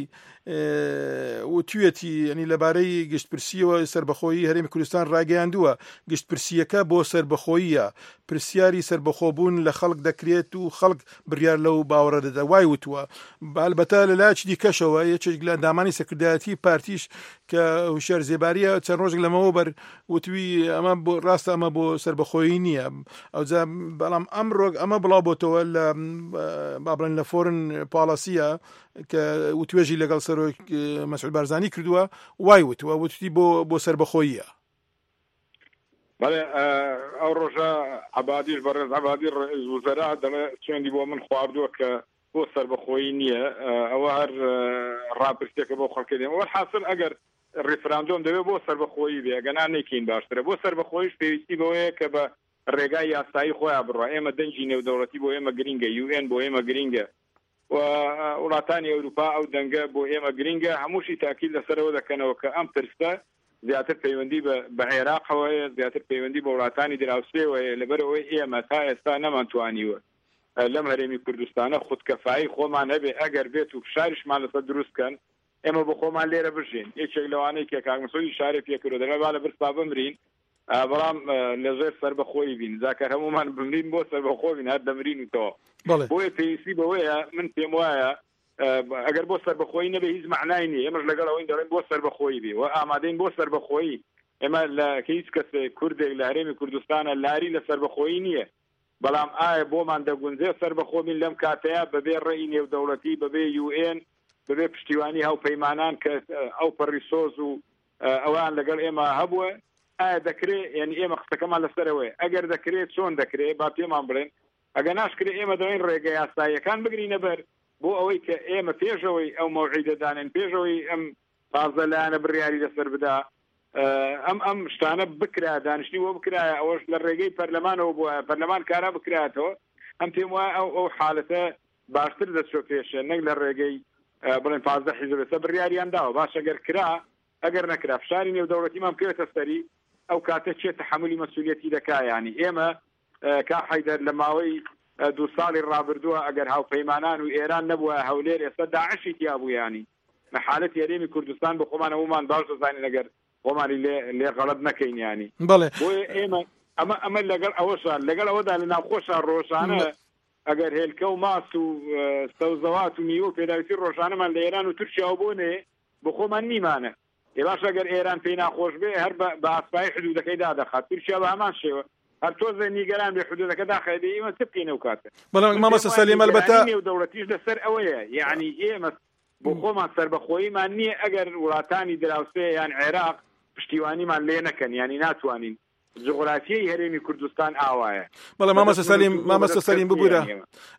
وتوێتی ینی لەبارەی گشتپرسیەوە سەربەخۆیی هەرێمی کوردستان ڕاگەیاندووە گشتپرسیەکە بۆ سەربەخۆییە پرسیاری سەربەخۆبوون لە خەڵک دەکرێت و خەڵک بڕیار لەو باوەڕە دەدا وای وتووە. ئەلبەتە لە لایەکی دیکەشەوە یەکێک لە ئەندامانی سەکردایەتی پارتیش کە هوشیار زێباریە چەند ڕۆژێک لەمەوە بەر وتوی ئەمە بۆ ڕاستە ئەمە بۆ سەربەخۆیی نییە. ئەوجا بەڵام ئەمڕۆ ئەمە بڵاو بۆتەوە لە با بڵێن لە فۆرن پاڵەسیە کە وتوێژی لەگەڵ سەرۆک مەسعود بارزانی کردووە وای وتووە وتوی بۆ بۆ سەربەخۆییە. بەڵێ ئەو ڕۆژە عەبادیش بەڕێز عەبادی ڕئیس وزەرا دەڵێ سوێندی بۆ من خواردووە کە بۆ سەربەخۆیی نییە، ئەوە هەر ڕاپرسیەکە بۆ خەڵکە دێن. وەلحاسڵ ئەگەر ڕیفراندۆم دەبێت بۆ سەربەخۆیی بێ، ئەگەنا نەیکەین باشترە. بۆ سەربەخۆییش پێویستی بەوەیە کە بە ڕێگای یاسایی خۆیان بڕوا. ئێمە دەنگی نێودەوڵەتی بۆ ئێمە گرینگە، یو ئێن بۆ ئێمە گرینگە و وڵاتانی ئەوروپا ئەو دەنگە بۆ ئێمە گرینگە. هەمووشی تاکید لەسەرەوە دەکەنەوە کە ئەم پرسە زیاتر پەیوەندی بە عێراقەوە هەیە، زیاتر پەیوەندی بە وڵاتانی دراوسێوە هەیە. لەبەرەوەی ئێمە تا ئێستا نەمانتوانیوە لەم هەرێمی کوردستانە خودکەفایی خۆمان هەبێ، ئەگەر بێت و فشاریشمان لەسەر دروست کەن ئێمە بۆ خۆمان لێرە بژین. یەکێک لەوانەی کە کاک مەسعود ئیشارەی پێکردووە دەڵێ با لە برسا بمرین بەڵام لەژێر سەربەخۆیی بین، جاکەر هەمومان بمرین بۆ سەربەخۆ بین هەر دەمرین و تەواو. بۆیە پێویستی بەوەیە من پێم وایە ئەگەر بۆ سەربەخۆیی نەبێ هیچ معنای نییە. ئێمەش لەگەڵ ئەوەین دەڵێن بۆ سەربەخۆیی بێ و ئامادەین بۆ سەربەخۆیی. ئێمە لە هیچ کەسێک کوردێک لە هەرێمی کوردستانە لاری لە سەربەخۆیی نییە، بەڵام ئایا بۆمان دەگونجێ سەربەخۆ بین لەم کاتەیە بەبێ ڕێی نێودەوڵەتی، بەبێ یو ئێن، بەبێ پشتیوانی هاوپەیمانان کە ئەو پەڕی سۆز و ئەوان لەگەڵ ئێمە هەبووە؟ ئایا دەکرێت؟ یعنی ئێمە قسەکەمان لەسەرەوەیە ئەگەر دەکرێت چۆن دەکرێت با پێمان بڵێن، ئەگەر ناشکرێت ئێمە دەڵێن ڕێگە یاساییەکان بگرینە بەر بۆ ئەوەی کە ئێمە پێشەوەی ئەو مەوعیدە دانێن، پێشەوەی ئەم پازدە لایەنە بڕیاری لەسەر بدا، ئەم ئەم شتانە بکرا، دانیشتنی بۆ بکرایە، ئەوەش لە ڕێگەی پەرلەمانەوە بووە، پەرلەمان کارا بکراتەوە. ئەم پێم وایە ئەو ئەو حالەتە باشتر دەچۆ پێشێ نەک لە ڕێگەی بڵێن پازدە حیزب لەسەر بڕیاریان داوە. باش ئەگەر کرا، ئەگەر نەکرا فشاری نێودەوڵەتیمان بکەوێتە سەری، ئەو کاتە چێ تەحەمولی مەسئولیەتی دەکا؟ یانی ئێمە کا حەیدەر لە ماوەی دوو ساڵی ڕابردووە ئەگەر هاوپەیمانان و ئێران نەبووە هەولێر ئێستا داعشی تیا بوو. یانی لە حالەتی هەرێمی کوردستان بە خۆمان هەمومان باش دەزانین ئەگەر خۆمانی لێ لێ غەڵەت نەکەین. یانی بەڵێ بۆیە ئێمە ئەمە ئەمە لەگەڵ ئەوەشا لەگەڵ ئەوەدا لە ناوخۆشا ڕۆژانە ئەگەر هێلکە و ماس و سەوزەوات و میوە و پێداویستی ڕۆژانەمان لە ئێران و تورکیاوە بۆ نێ بۆ خۆمان نیمانە. ئێ باش ئەگەر ئێران پێی ناخۆش بێ هەر بە ئاسپایی حدودەکەی دادەخات، تورکیا بە هەمان شێوە هەر تۆزێ نیگەران بێ حدودەکە داخێ بێ ئێمە چ بکەین ئەو کاتە؟ بەڵام مامۆستا سەلیم ئەلبەتە نێودەوڵەتیش لەسەر ئەوەیە، یعنی ئێمە بۆ خۆمان سەربەخۆییمان نییە ئەگەر وڵاتانی دراوسێ یان عێراق پشتیوانیمان لێ نەکەن، یعنی ناتوانین. جغرافیای هەرێمی کوردستان ئاوایە. بەڵێ مامۆستا سەلیم، مامۆستا سەلیم ببورە،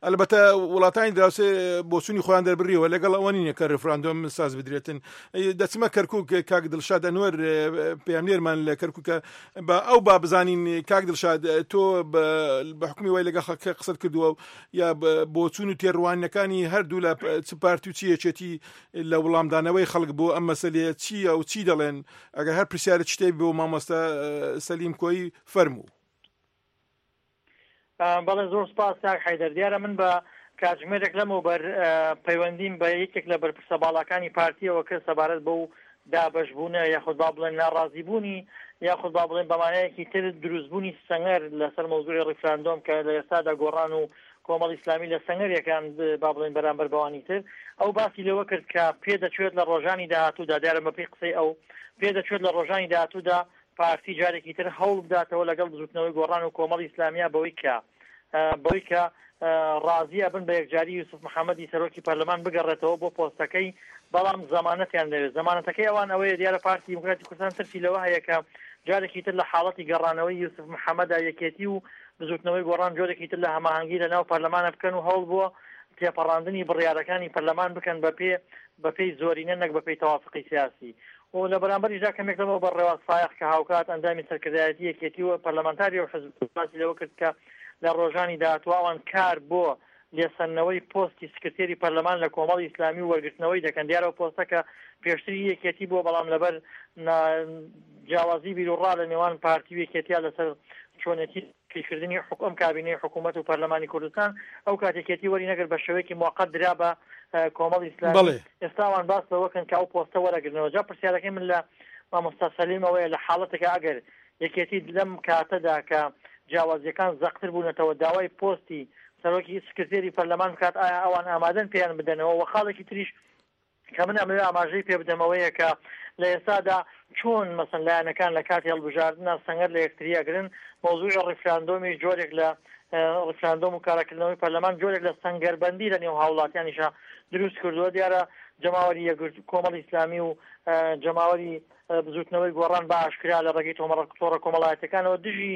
ئەلبەتە وڵاتانی دراوسێ بۆچوونی خۆیان دەربڕیەوە لەگەڵ ئەوە نییە کە ڕیفراندۆم ساز بدرێتن. دەچمە کەرکوک، کاک دڵشاد ئەنوەر پەیامنێرمان لە کەرکوکە، بە ئەو با بزانین کاک دڵشاد تۆ بە حکومی وای لەگەڵ خەڵک قسەت کردووە یا بۆچوون و تێڕوانینەکانی هەردوو لە چ پارتی و چی یەکێتی لە وەڵامدانەوەی خەڵک بۆ ئەم مەسەلەیە چییە و چی دەڵێن؟ ئەگەر هەر پرسیارە شتێک بۆ مامۆستا سەلیم کۆیی فەرموو. بەڵێ زۆر سپاس کاک حەیدەر. دیارە من بە کاتژمێرێک لەمەوبەر پەیوەندیم بە یەکێک لە بەرپرسە باڵاکانی پارتیەوە کرد سەبارەت بەو دابەشبوونە یاخود با بڵێن ناڕازیبوونی یاخود با بڵێن بەمانەیەکی تر دروستبوونی سەنگەر لەسەر مەوزوعی ڕیفراندۆم کە لە ئێستادا گۆڕان و کۆمەڵ ئیسلامی لە سەنگەرێکان با بڵێن بەرامبەر بەوانی تر. ئەو باسی لەوە کرد کە پێدەچێت لە ڕۆژانی داهاتوودا، دیارە بەپێی قسەی ئەو پێدەچێت لە ڕۆژانی داهاتوودا پارتی جارێکی تر هەوڵ بداتەوە لەگەڵ بزوتنەوەی گۆڕان و کۆمەڵی ئیسلامیا بەوەی کە بەوەی کە ڕازی ئەبن بە یەکجاری یوسف محەممەدی سەرۆکی پەرلەمان بگەڕێتەوە بۆ پۆستەکەی، بەڵام زەمانەتیان دەوێت. زەمانەتەکەی ئەوان ئەوەیە دیارە پارتی دیموکراتی کوردستان ترسی لەوە هەیە کە جارێکی تر لە حاڵەتی گەڕانەوەی یوسف محەممەدا یەکێتی و بزوتنەوەی گۆڕان جۆرێکی تر لە هەماهەنگی لە ناو پەرلەمانە بکەن و هەوڵ بۆ تێپەڕاندنی بڕیارەکانی پەرلەمان بکەن بەپێ بەپێی زۆرینە نەک بەپێی تەوافقی سیاسی. و لە بەرامبەریشدا کەمێک لەمەوە بەر ڕێواز فایەق کە هاوکات ئەندامی سەرکردایەتی یەکێتی و پەرلەمانتاری و حزب باسی لەوە کرد کە لە ڕۆژانی داهاتوو ئەوان کار بۆ لێسەندنەوەی پۆستی سکرتێری پەرلەمان لە کۆمەڵی ئیسلامی و وەرگرتنەوەی دەکەن. دیارە ئەو پۆستە کە پێشتری یەکێتی بووە، بەڵام لەبەر جیاوازی بیروڕا لە نێوان پارتی و یەکێتیا لەسەر چۆنێتی کردنی حکوم کابینەی حکوومەت و پەرلەمانی کوردستان، ئەو کات یەکێتی وەری نەگرت، بە شێوەیەکی موقت درا بە کۆمەڵی ئیسلامی. ئێستا ئەوان باس لەوە کەن کە ئەو پۆستە وەرەگرنەوە. جا پرسیارەکەی من لە مامۆستا سەلیم ئەوەیە لە حاڵەتێکە ئەگەر یەکێتی لەم کاتەدا کە جیاوازیەکان زەقتر بوونەتەوە داوای پۆستی سەرۆکی سکرتێری پەرلەمان بکات، ئایا ئەوان ئامادەن پێیان بدەنەوە؟ وە خاڵێکی تریش کە من ئەمەوێ ئاماژەی پێ بدەمەوەیە کە لە ئێستادا چۆن مەسەن لایەنەکان لە کاتی هەڵبژاردنە سەنگەر لە یەکتری ئەگرن، مەوزوعی ڕیفراندۆمی جۆرێک لە ڕیفراندۆم و کاراکردنەوەی پەرلەمان جۆرێک لە سەنگەربەندی لە نێو هاوڵاتیانیشە دروست کردووە. دیارە جەماوەری یەکگرت کۆمەڵی ئیسلامی و جەماوەری بزوتنەوەی گۆڕان بە ئاشکرا لە ڕێگەی تۆڕە کۆمەڵایەتەکانەوە دژی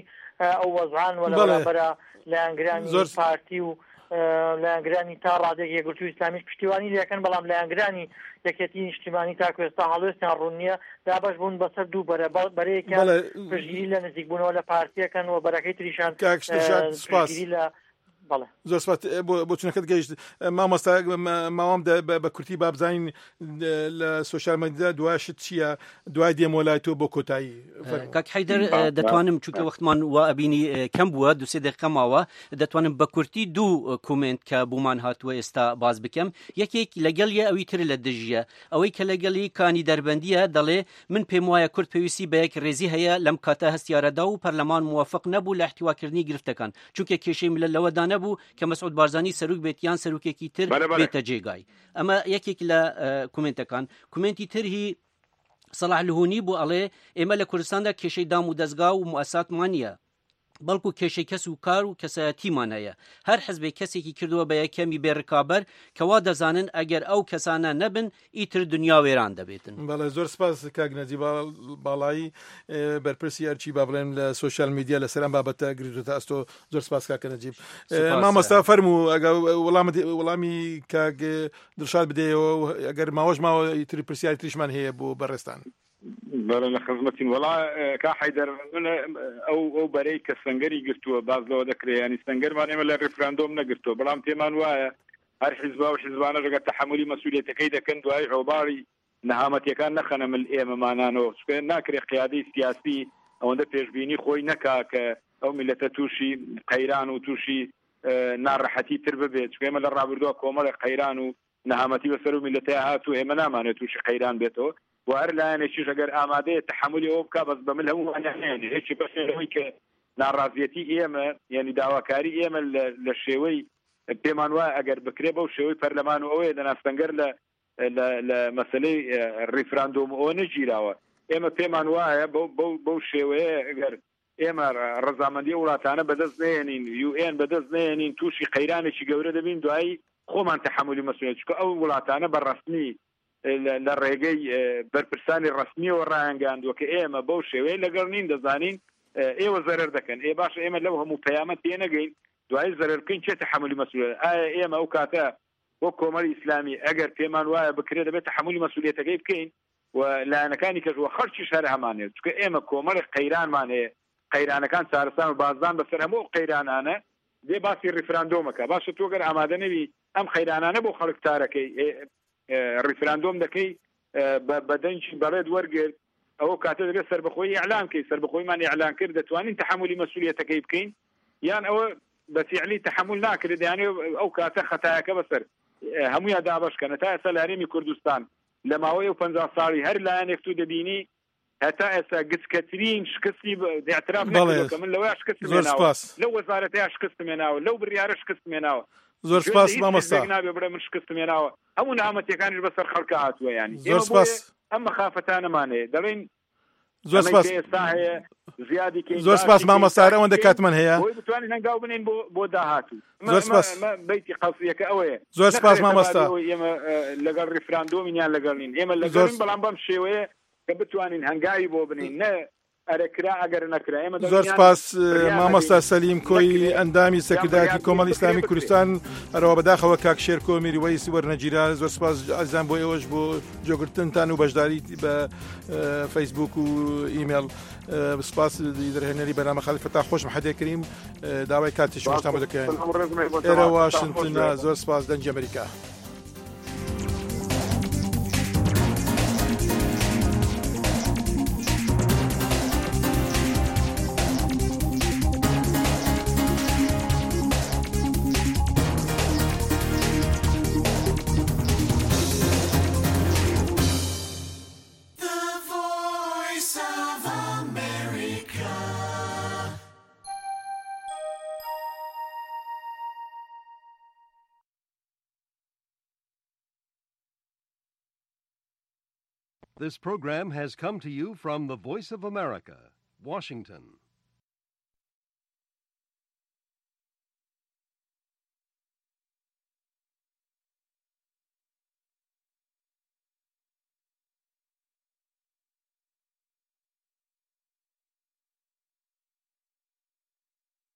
ئەو وەزعان و لە بەرامبەرە لایەنگرانی پارتی و لایەنگرانی تا ڕادێک یەکگرتوو ئیسلامیش پشتیوانی لەکەن، بەڵام لایەنگرانی یەکێتی نیشتیمانی تاکو ئێستا هەڵوێستیان ڕوون نییە، دابەش بوون بەسەر دوو بەرە، بەرەیەکیان پشتگیری لە نزیکبوونەوە لە پارتیەکەن و بەرەکەی تریشان پشتگیری لە بەڵێ. زۆر سپاس بۆ بۆچونەکەت گەیشت مامۆستا. ماوام بە کورتی با بزانین لە سۆشیال میدیا دوای شت چییە، دوای دێمەوە لای تۆ بۆ کۆتایی. کاک حەیدەر دەتوانم چونکە وەختمان وا ئەبینی کەم بووە، دوو سێ دقیقە ماوە، دەتوانم بە کورتی دوو comment کە بۆمان هاتووە ئێستا باز بکەم. یەکێک لەگەڵیە ئەوی تر لە دژیە. ئەوەی کە لەگەڵی کانی دەربەندیە دەڵێ من پێم وایە کورد پێویستی بە یەک ڕێزی هەیە لەم کاتە هەستیارەدا و پەرلەمان موافق نەبوو لە احتیواکردنی گرفتەکان، چونکە کێشەی ملت لەوەدا نەبوو کە مەسعود بارزانی سەرۆک بێت یان سەرۆکێکی تر بێتە جێگای. ئەمە یەکێک لە comment ەکان. comment ی تر هی سەڵاح لهونی بوو، ئەڵێ ئێمە لە کوردستاندا کێشەی دام و دەستگا و موئەساتمان نییە، بەڵکو کێشەی کەس و کار و کەسایەتیمان هەیە. هەر حزبێک کەسێکی کردووە بە یەکەمی بێڕکابەر کە وا دەزانن ئەگەر ئەو کەسانە نەبن ئیتر دنیا وێران دەبێتن. بەڵێ زۆر سپاس کاک نەجیب باڵایی بەرپرسی ئەرچی با بڵێن لە سۆشیال میدیا لەسەر ئەم بابەتە گرتوتە ئەستۆ. زۆر سپاس کاکە نەجیب. مامۆستا فەرموو ئەگەر وەڵامت وەڵامی کاک دڵشاد بدەیەوە، ئەگەر ماوەش ماوە ئیتر پرسیاری تریشمان هەیە بۆ بەڕێزتان. بەڵێ لە خزمەتین. وەڵا کا حەیدەر من ئەو ئەو بەرەی کە سەنگەری گرتووە باز لەوە دەکرێت، ینی سەنگەرمان ئێمە لە ڕیفراندۆم نەگرتووە، بەڵام پێمان وایە هەر حیزبا و حیزبانە ژەگەر تەحەمولی مەسئولیەتەکەی دەکەن دوای ئۆباڵی نەهامەتیەکان نەخەنە مل ئێمەمانانەوە، چونکە ناکرێت قیادەی سیاسی ئەوەندە پێشبینی خۆی نەکا کە ئەو میللەتە تووشی قەیران و تووشی ناڕەحەتی تر ببێت، چونکە ئێمە لە ڕابردووە کۆمەڵێک قەیران و نەهامەتی بەسەر و میللەتەیا هات و ئێمە نامانێت تووشی قەیران بێتەوە و هەر لایەنێکیش ئەگەر ئامادەیە تەحەمولی ئەوە بکا بەس بە مل هەموومانیان نەیەنێ. یەکی بەشێ لەوەی کە ناڕازیەتی ئێمە یعنی داواکاری ئێمە لە شێوەی پێمان وایە ئەگەر بکرێ بەو شێوەی پەرلەمان و ئەوەیە دەنا سەنگەر لە لە مەسلەی ڕیفراندۆم ئەوە نەگیراوە. ئێمە پێمان وایە بەو بەو شێوەیە ئەگەر ئێمە ڕەزامەندی وڵاتانە بەدەست نەیەنین، یو ئێن بەدەست نەیەنین، تووشی قەیرانێکی گەورە دەبین، دوایی خۆمان تەحەمولی مەسئولیەت، چونکە ئەو وڵاتانە بە ڕەسمی لە ڕێگەی بەرپرسانی ڕەسمیەوە ڕایانگەیاندووە کە ئێمە بەو شێوەیە لەگەڵ نین، دەزانین ئێوە زەرەر دەکەن. ئێ باشە ئێمە لەو هەموو پەیامە تێنەگەین دوایی زەرەر بکەین کێ تەحەمولی مەسئولیەت؟ ئایا ئێمە ئەو کاتە وەک کۆمەڵی ئیسلامی ئەگەر پێمان وایە بکرێت دەبێت تەحەمولی مەسئولیەتەکەی بکەین و لایەنەکانی کەش و خەڵکیش هەر هەمانێت، چونکە ئێمە کۆمەڵێک قەیرانمان هەیە، قەیرانەکان چارەسان و بازدان بەسەر هەموو ئەو قەیرانانە دێ باسی ڕیفراندۆمەکە. باشە تۆ گەر ئامادە نەبی ئەم قەیرانانە بۆ خەڵک چارەکەی ڕیفراندۆم دەکەی بە دەنگی بەڵێت وەرگرت، ئەوە کاتە دەبێت سەربەخۆیی ئیعلان کەی، سەربەخۆیمان ئیعلان کرد دەتوانین تەحەمولی مەسئولیەتەکەی بکەین یان ئەوە بە فیعلی تەحەمول ناکرێت، یانێ ئەو کاتە خەتایەکە بەسەر هەموویان دابەش کەن. تا ئێستا لە هەرێمی کوردستان لە ماوەی ئەو پەنجا ساڵی هەر لایەنێک تو دەبینی هەتا ئێستا گچکەترین شکستی اعتراف نەکردووە کە من لەوەیا شکستم زۆر هێناوە، سپاس. لەو وەزارەتەیا شکستم هێناوە، لەو بڕیارە شکستم هێناوە. زۆر گوێ سپاس لە هیچ مامۆستا. حیزبێک نابێ بڵێ من شکستم هێناوە، هەموو نەهامەتیەکانیش بەسەر خەڵکا هاتووە. یانی زۆر ئێمە سپاس. بۆیە ئەم مەخافتانەمان هەیە دەڵێین زۆر ئەمەی سپاس. کە ئێستا هەیە زیادی کەین، زۆر سپاس باشی کەین، مامۆستا، هەر چاکی ئەوەندە کەین، کاتمان هەیە. بۆی بتوانین هەنگاو بنێین بۆ بۆ داهاتوو. ئەمە زۆر ئەمە سپاس. ئەمە بەیتی قەسیەکە ئەوەیە. زۆر سپاس نەخرێتە مامۆستا. بابی ئەوەی ئێمە لەگەڵ ڕیفراندۆمین یان لەگەڵ نین. ئێمە زۆر لەگەڵین، بەڵام بەم شێوەیە کە بتوانین هەنگاوی بۆ بنێین، نە ئەرێ کرا ئەگەر نەکرا ئێمە زۆر سپاس مامۆستا سەلیم کۆی ئەندامی سەرکردایەتی کۆمەڵی ئیسلامی کوردستان هەرەوە بەداخەوە کاک شێرکۆ میروەیس وەرنەگیرا زۆر سپاس ئازیزان بۆ ئێوەش بۆ جۆگرتنتان و بەشداری بە فەیسبوک و ئیمێڵ سپاس دەرهێنەری بەرنامە خالید فەتاح خۆشم حەدێ کریم داوای کاتی شماشتان بۆ دەکەین ئێرە واشنتنە زۆر سپاس دەنگی ئەمریکا. This program has come to you from the Voice of America, Washington.